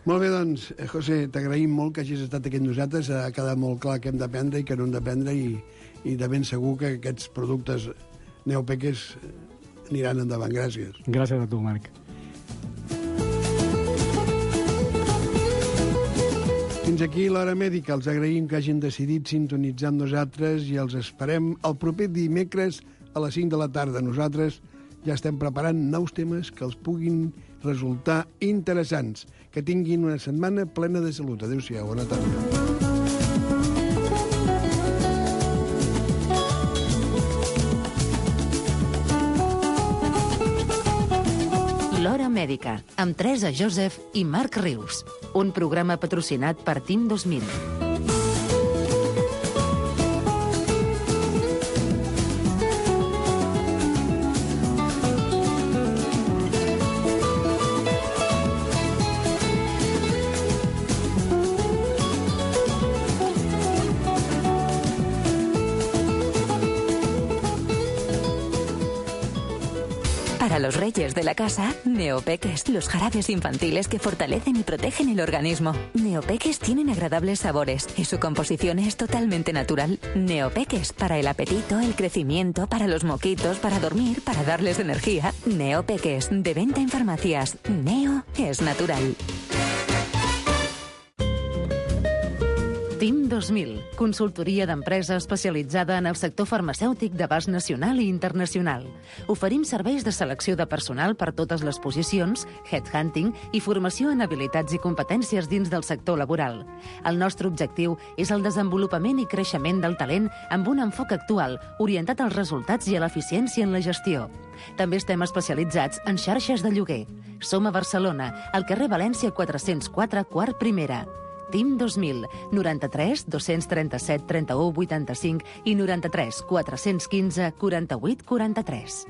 Molt bé, doncs, José, t'agraïm molt que hagis estat aquí amb nosaltres. Ha quedat molt clar que hem d'aprendre i que no hem d'aprendre, i, i de ben segur que aquests productes neopeques aniran endavant. Gràcies. Gràcies a tu, Marc. Fins aquí l'Hora Mèdica. Els agraïm que hagin decidit sintonitzar amb nosaltres i els esperem el proper dimecres a les cinc de la tarda. Nosaltres ja estem preparant nous temes que els puguin resultar interessants. Que tinguin una setmana plena de salut. Adéu-siau, bona tarda. L'Hora Mèdica, amb Teresa Joseph i Marc Rius. Un programa patrocinat per Team dos mil. Para los reyes de la casa, Neopeques, los jarabes infantiles que fortalecen y protegen el organismo. Neopeques tienen agradables sabores y su composición es totalmente natural. Neopeques, para el apetito, el crecimiento, para los moquitos, para dormir, para darles energía. Neopeques, de venta en farmacias. Neo es natural. Team dos mil, consultoria d'empresa especialitzada en el sector farmacèutic d'abast nacional i internacional. Oferim serveis de selecció de personal per totes les posicions, headhunting i formació en habilitats i competències dins del sector laboral. El nostre objectiu és el desenvolupament i creixement del talent amb un enfoc actual, orientat als resultats i a l'eficiència en la gestió. També estem especialitzats en xarxes de lloguer. Som a Barcelona, al carrer València quatre-cents quatre, quart primera. Team dos mil, noranta-tres dos-cents trenta-set trenta-u vuitanta-cinc i noranta-tres quatre-cents quinze quaranta-vuit quaranta-tres.